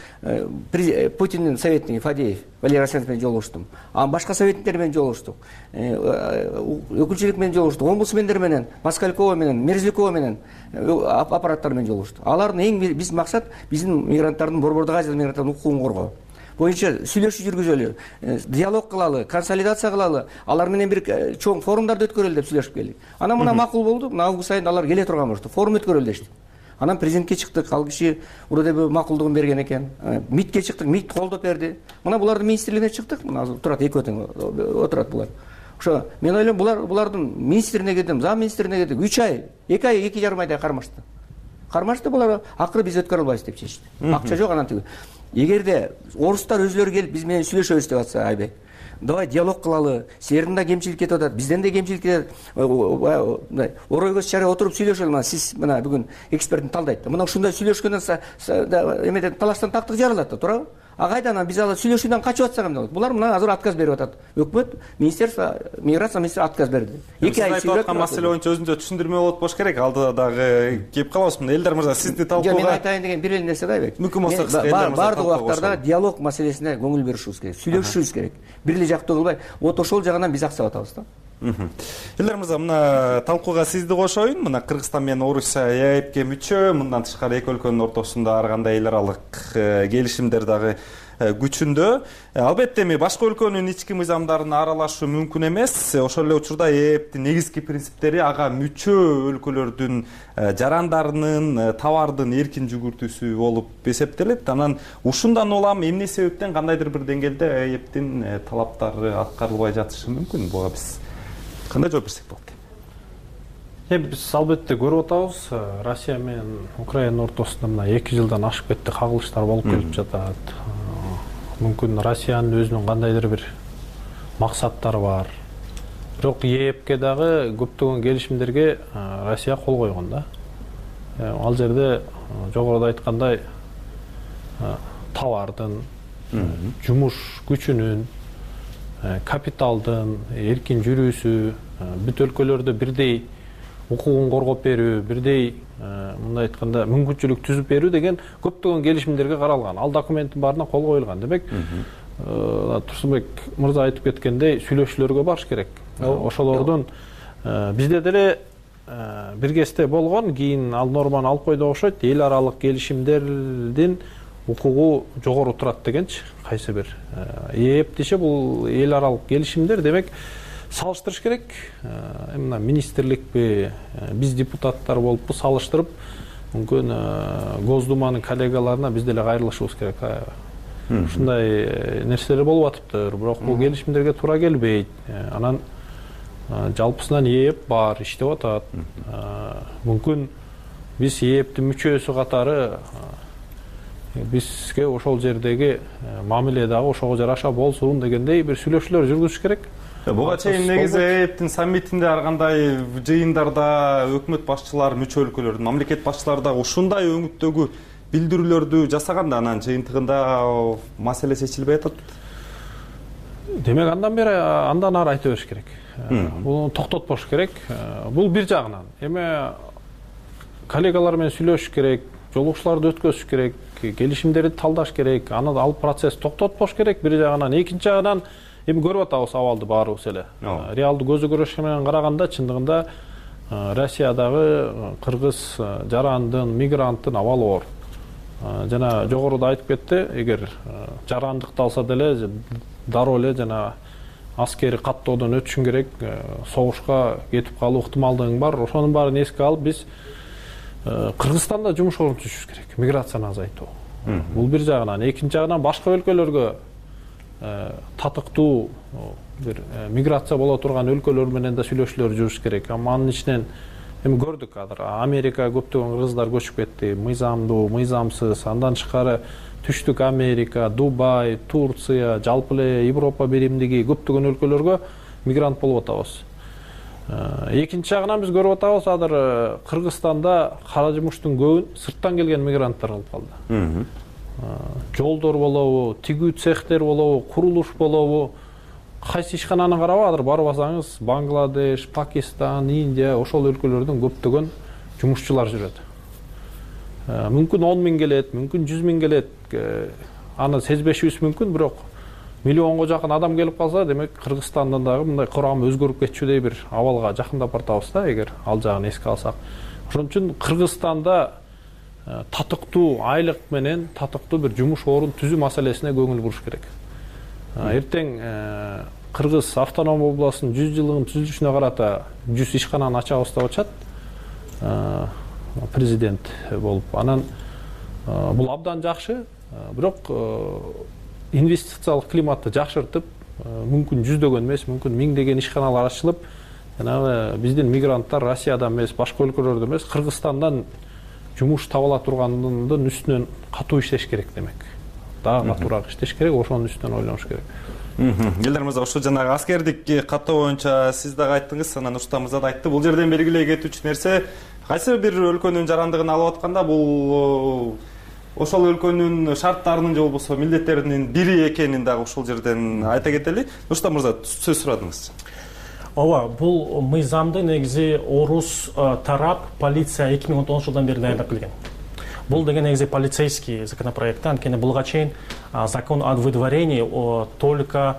Путиндин советниги Фадеев, Валерий Арсенович менен жолугуштум. Башка советниктер менен жолугуштук. Өкүлчүлүк менен жолугуштук. Омбудсмендер менен, Москалькова менен, Мерзликова менен аппараттар менен жолугуштук. Алардын эң биз максат биздин мигранттардын, Борбордогу Азия мигранттардын укугун коргоо боюнча сүйлөшүү жүргүзөлү, диалог кылалы, консолидация кылалы, алар менен бир чоң форумдарды өткөрөлү деп сүйлөшүп келдик. Анан мына макул болду, мына август айында алар келе турган болушту, форум өткөрөлү дештик. Анан президентке чыктык, ал киши уродебе макулдугун берген экен. МИДке чыктык, МИД колдоп берди. Мына булардын министрлигине чыктык, мына турат экөө тең отурат булар. ошо мен ойлойм булардын министрине кирдим, зам министрине кирдик, 3 ай, 2 ай, 2,5 айдай кармашты. Булар акыры биз өткөрө албайбыз деп чечти. Акча жок, анан тиги. Эгерде орустар өзлөрү келип биз менен сүйлөшөбүз деп атса, Айбек, давай диалог кылалы, силердин да кемчилик кетип атат, бизден да кемчилик кетет, орой көз чарай отуруп сүйлөшөлү. Мына сиз мына бүгүн экспертин талдайт да, мына ушундай сүйлөшкөндөн эмеден талаштан тактык жаралат да, туурабы? Кайдан биз ал сүйлөшүүдөн качып атсак эмне болот? Булар мына азыр отказ берип атат. Өкмөт, министерство, миграция министри отказ берди. 2 ай
сүйлөп аткан маселе боюнча өзүнчө түшүндүрмө болот болуш керек. Алдыда дагы кеп калабыз. Мына Элдар мырза, сизди талкууга.
Мен айтайын деген бир эле нерсе да, Айбек.
Мүмкүн болсо кыска Элдар мырза.
Бардык убактарда диалог маселесине көңүл беришибиз керек, сүйлөшүшүбүз керек. Бир эле жактуу кылбай, вот ошол жагынан биз аксап атабыз да.
Элдар мырза, мына талкууга сизди кошоюн. Мына Кыргызстан менен Орусия ЕАЭПке мүчө, мындан тышкары эки өлкөнүн ортосунда ар кандай эл аралык келишимдер дагы күчүндө. Албетте эми башка өлкөнүн ички мыйзамдарына аралашуу мүмкүн эмес. Ошол эле учурда ЕАЭПтин негизги принциптери ага мүчө өлкөлөрдүн жарандарынын, товардын эркин жүгүртүүсү болуп эсептелет. Анан ушундан улам эмне себептен кандайдыр бир деңгээлде ЕАЭПтин талаптары аткарылбай жатышы мүмкүн? Буга биз кандай жооп берсек болот?
Биз албетте көрүп атабыз, Россия менен Украина ортосунда мына 2 жылдан ашып кетти, кагылыштар болуп келип жатат. Мүмкүн Россиянын өзүнүн кандайдыр бир максаттары бар. Бирок ЕАЭПке дагы көптөгөн келишимдерге Россия кол койгон да. Ал жерде жогоруда айткандай товардын, жумуш күчүнүн, капиталдын эркин жүрүүсү, бүт өлкөлөрдө бирдей укугун коргоп берүү, бирдей мындай айтканда мүмкүнчүлүк түзүп берүү деген көптөгөн келишимдерге каралган. Ал документтин баарына кол коюлган. Демек, Турсунбек мырза айтып кеткендей, сүйлөшүүлөргө барыш керек. Ошолордун бизде деле биргесте болгон, кийин ал норманы алып койду окшойт. Эл аралык келишимдердин укугу жогору турат дегенчи, кайсы бир. ЕАЭП десе бул эл аралык келишимдер, демек салыштырыш керек. Мына министрликпи, биз депутаттар болуппу, салыштырып, мүмкүн Госдуманын коллегаларына биз деле кайрылышыбыз керек. Ушундай нерселер болуп атыптыр, бирок бул келишимдерге туура келбейт. Анан жалпысынан ЕАЭП бар, иштеп атат. Мүмкүн биз ЕАЭПтин мүчөсү катары бизге ошол жердеги мамиле дагы ошого жараша болсун дегендей бир сүйлөшүүлөр жүргүзүш керек.
Буга чейин негизи ЕАЭПтин саммитинде ар кандай жыйындарда өкмөт башчылары, мүчө өлкөлөрдүн мамлекет башчылары да ушундай өңүттөгү билдирүүлөрдү жасаганда, анан жыйынтыгында маселе чечилбей атат.
Демек андан ары айта бериш керек. Буну токтотпош керек. Бул бир жагынан. Эми коллегалар менен сүйлөшүш керек, жолугушууларды өткөзүш керек, келишимдерди талдаш керек, аны ал процесс токтотпош керек бир жагынан. Экинчи жагынан эми көрүп атабыз абалды баарыбыз эле. Реалдуу көзү көрөш менен караганда чындыгында Россиядагы кыргыз жарандын, мигранттын абалы оор. Жана жогоруда айтып кетти, эгер жарандыкты алса деле дароо эле жана аскери каттоодон өтүшүң керек, согушка кетип калуу ыктымалдыгың бар. Ошонун баарын эске алып биз Кыргызстанда жумуш орун түзүшүбүз керек, миграцияны азайтуу. Бул бир жагынан. Экинчи жагынан башка өлкөлөргө татыктуу бир миграция боло турган өлкөлөр менен да сүйлөшүүлөр жүрүш керек. Анын ичинен эми көрдүк азыр Америка көптөгөн кыргыздар көчүп кетти, мыйзамдуу, мыйзамсыз. Андан тышкары Түштүк Америка, Дубай, Турция, жалпы эле Европа биримдиги көптөгөн өлкөлөргө мигрант болуп атабыз. Экинчи жагынан биз көрүп атабыз, азыр Кыргызстанда кара жумуштун көбүн сырттан келген мигранттар кылып калды. Жолдор болобу, тигүү цехтер болобу, курулуш болобу, кайсы ишкананы карап азыр барбасаңыз, Бангладеш, Пакистан, Индия, ошол өлкөлөрдөн көптөгөн жумушчулар жүрөт. Мүмкүн 10 миң келет, мүмкүн 100 миң келет. Аны сезбешибиз мүмкүн, бирок миллионго жакын адам келип калса, демек Кыргызстандын дагы мындай курамы өзгөрүп кетчүдөй бир абалга жакындап бартабыз да, эгер ал жагын эске алсак. Ошон үчүн Кыргызстанда татыктуу айлык менен татыктуу бир жумуш орун түзүү маселесине көңүл буруш керек. Эртең Кыргыз автоном областынын 100 жылдыгын түзүлүшүнө карата 100 ишкананы ачабыз деп атышат. Президент болуп. Анан бул абдан жакшы, бирок инвестициялык климатты жакшыртып,
мүмкүн жүздөгөн эмес, мүмкүн миңдеген ишканалар ачылып, жанагы биздин мигранттар Россиядан эмес, башка өлкөлөрдөн эмес, Кыргызстандан жумуш таба ала тургандын үстүнөн катуу иштеш керек демек. Дагы катуураак иштеш керек, ошонун үстүнөн ойлонуш керек.
Элдар мырза, ушу жанагы аскердик каттоо боюнча сиз дагы айттыңыз, анан Нурсултан мырза да айтты. Бул жерден белгилей кетүүчү нерсе, кайсы бир өлкөнүн жарандыгын алып атканда бул ошол өлкөнүн шарттарынын же болбосо милдеттеринин бири экенин дагы ушул жерден айта кетели. Нурсултан мырза, сөз сурадыңыз.
Ооба, бул мыйзамды негизи орус тарап полиция 2010 жылдан бери даярдап келген. Бул деген негизи полицейский законопроект, анткени булга чейин закон о выдворении только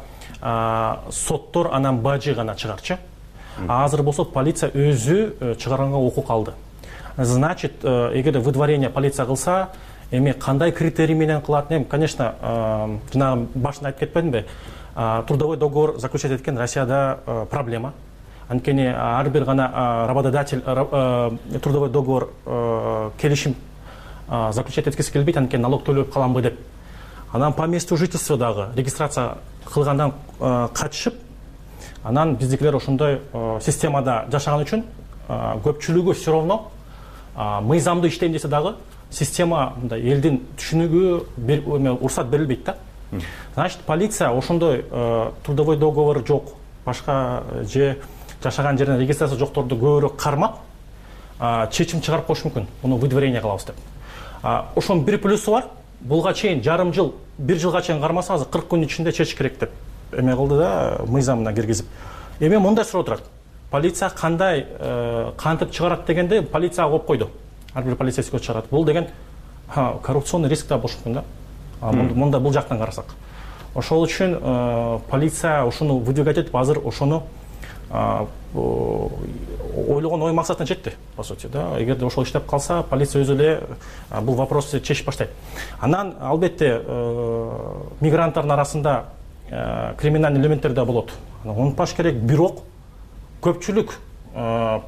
соттор анан бажы гана чыгарчы. Азыр болсо полиция өзү чыгарганга укук алды. Значит, эгер выдворение полиция кылса, эми кандай критерий менен кылат? Конечно, жанагы башында айтып кетпедимби? Трудовой договор заключать эткен Россияда проблема. Анткени ар бир гана работодатель трудовой договор келишим заключать эткиси келбейт, анткени налог төлөп каламбы деп. Анан по месту жительства дагы регистрация кылгандан качышып, анан биздикилер ошондой системада жашаган үчүн көпчүлүгү все равно мыйзамды иштейм десе дагы система мындай элдин түшүнүгү уруксат берилбейт да. Значит, полиция ошондой трудовой договор жок, башка же жашаган жеринен регистрация жокторду көбүрөөк кармап, чечим чыгарып коюш мүмкүн. Муну выдворение кылабыз деп. Ошонун бир плюсу бар. Булга чейин жарым жыл, бир жылга чейин кармаса, азыр 40 күн ичинде чечиш керек деп эме кылды да, мыйзамына киргизип. Эми мындай суроо турат. Полиция кандай кантип чыгарат дегенде, полиция коюп койду. Ар бир полицейский чыгарат. Бул деген коррупционный риск да болушу мүмкүн да. Мында бул жактан карасак. Ошол үчүн полиция ошону выдвигать этип, азыр ошону ойлогон ой максатына жетти, по сути, да. Эгерде ошол иштеп калса, полиция өзү эле бул вопросту чечип баштайт. Анан албетте мигранттардын арасында криминалдык элементтер да болот. Унутпаш керек, бирок көпчүлүк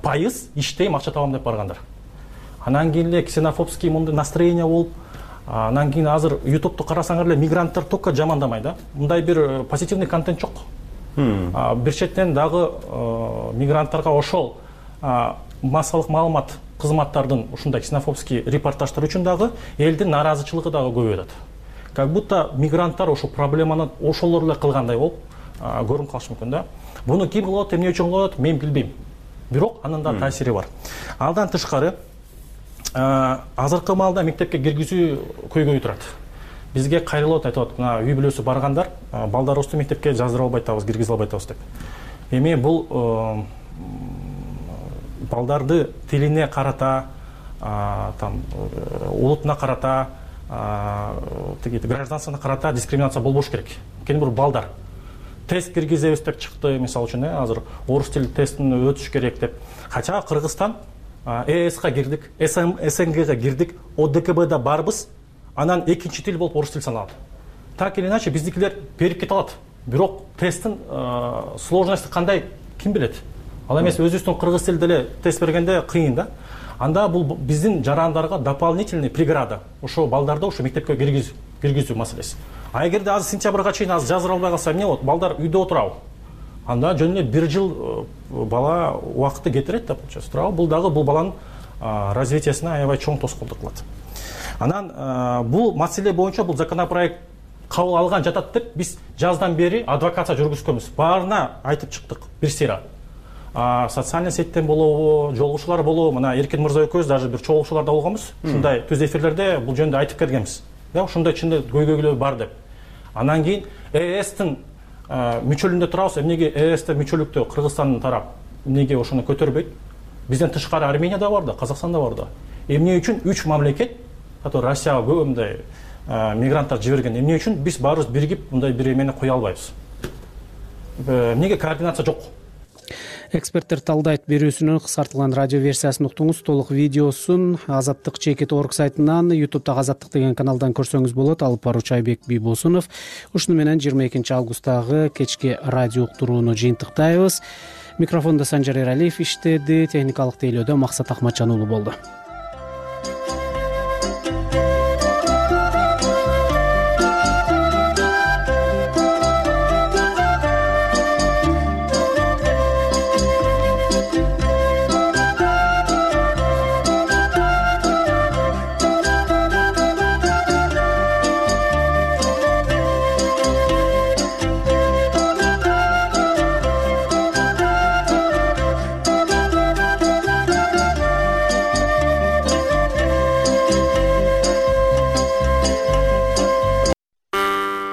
пайыз иштейм, акча табам деп баргандар. Анан кийин эле ксенофобский мындай настроение болуп, анан кийин азыр YouTube'ду карасаңар эле мигранттар только жамандамай да. Мындай бир позитивный контент жок. Бир четтен дагы мигранттарга ошол массалык маалымат кызматтардын ушундай ксенофобский репортаждар үчүн дагы элдин нааразычылыгы дагы көбөйүп атат. Как будто мигранттар ошол проблеманы ошолор эле кылгандай болуп көрүнүп калышы мүмкүн да. Буну ким кылып атат, эмне үчүн кылып атат, мен билбейм. Бирок анын да таасири бар. Алдан тышкары азыркы маалда мектепке киргизүү көйгөй турат. Бизге кайрылып айтып атат, үй бүлөсү баргандар, балдарыбызды мектепке жаздыра албай атабыз, киргизе албай атабыз деп. Эми бул балдарды тилине карата, улутуна карата, гражданствосуна карата дискриминация болбош керек. Анткени бул балдар. Тест киргизебиз деп чыкты, мисалы үчүн, азыр орус тили тестин өтүш керек деп. Кача Кыргызстан ЭСК кирдик, СНГга кирдик, ОДКБда барбыз, анан экинчи тил болуп орус тил саналат. Так или иначе биздикилер берип кете алат. Бирок тесттин сложности кандай ким билет? Ал эмес өзүбүздүн кыргыз тилде эле тест бергенде кыйын да. Анда бул биздин жарандарга дополнительный преграда. Ошо балдарды ошо мектепке киргизүү маселеси. А эгерде азыр сентябрга чейин азыр жаздыра албай калса эмне болот? Балдар үйдө отурабы? Анда жөн эле бир жыл бала убакытты кетирет да, получается. Туурабы? Бул дагы бул баланын развитиясына аябай чоң тоскоолдук кылат. Анан бул маселе боюнча бул законопроект кабыл алган жатат деп биз жаздан бери адвокация жүргүзгөнбүз. Баарына айтып чыктык бир сыйра. Социальный сеттен болобу, жолугушуулар болобу, мына Эркин мырза экөөбүз даже бир чогулушууларда болгонбуз. Ушундай түз эфирлерде бул жөнүндө айтып келгенбиз. Да, ушундай чында көйгөйлөр бар деп. Анан кийин ЭСтин мүчөлүндө турабыз. Эмнеге ЭСте мүчөлүктө Кыргызстандын тарап эмнеге ошону көтөрбөйт? Бизден тышкары Армения да бар да, Казакстан да бар да. Эмне үчүн 3 мамлекет, который Россияга көп мындай мигранттар жиберген, эмне үчүн биз баарыбыз биригип мындай бир эмени кое албайбыз? Эмнеге координация жок?
Эксперттер талдайт берүүсүнүн кыскартылган радио версиясын уктуңуз. Толук видеосун Азаттык ЧК.org сайтынан, YouTube'да Азаттык деген каналдан көрсөңүз болот. Алып баруучу Айбек Бийбосунов. Ушуну менен 22 августтагы кечки радио уктурууну жыйынтыктайбыз. Микрофондо Санжар Эралиев иштеди, техникалык тейлөөдө Максат Акматжан уулу болду.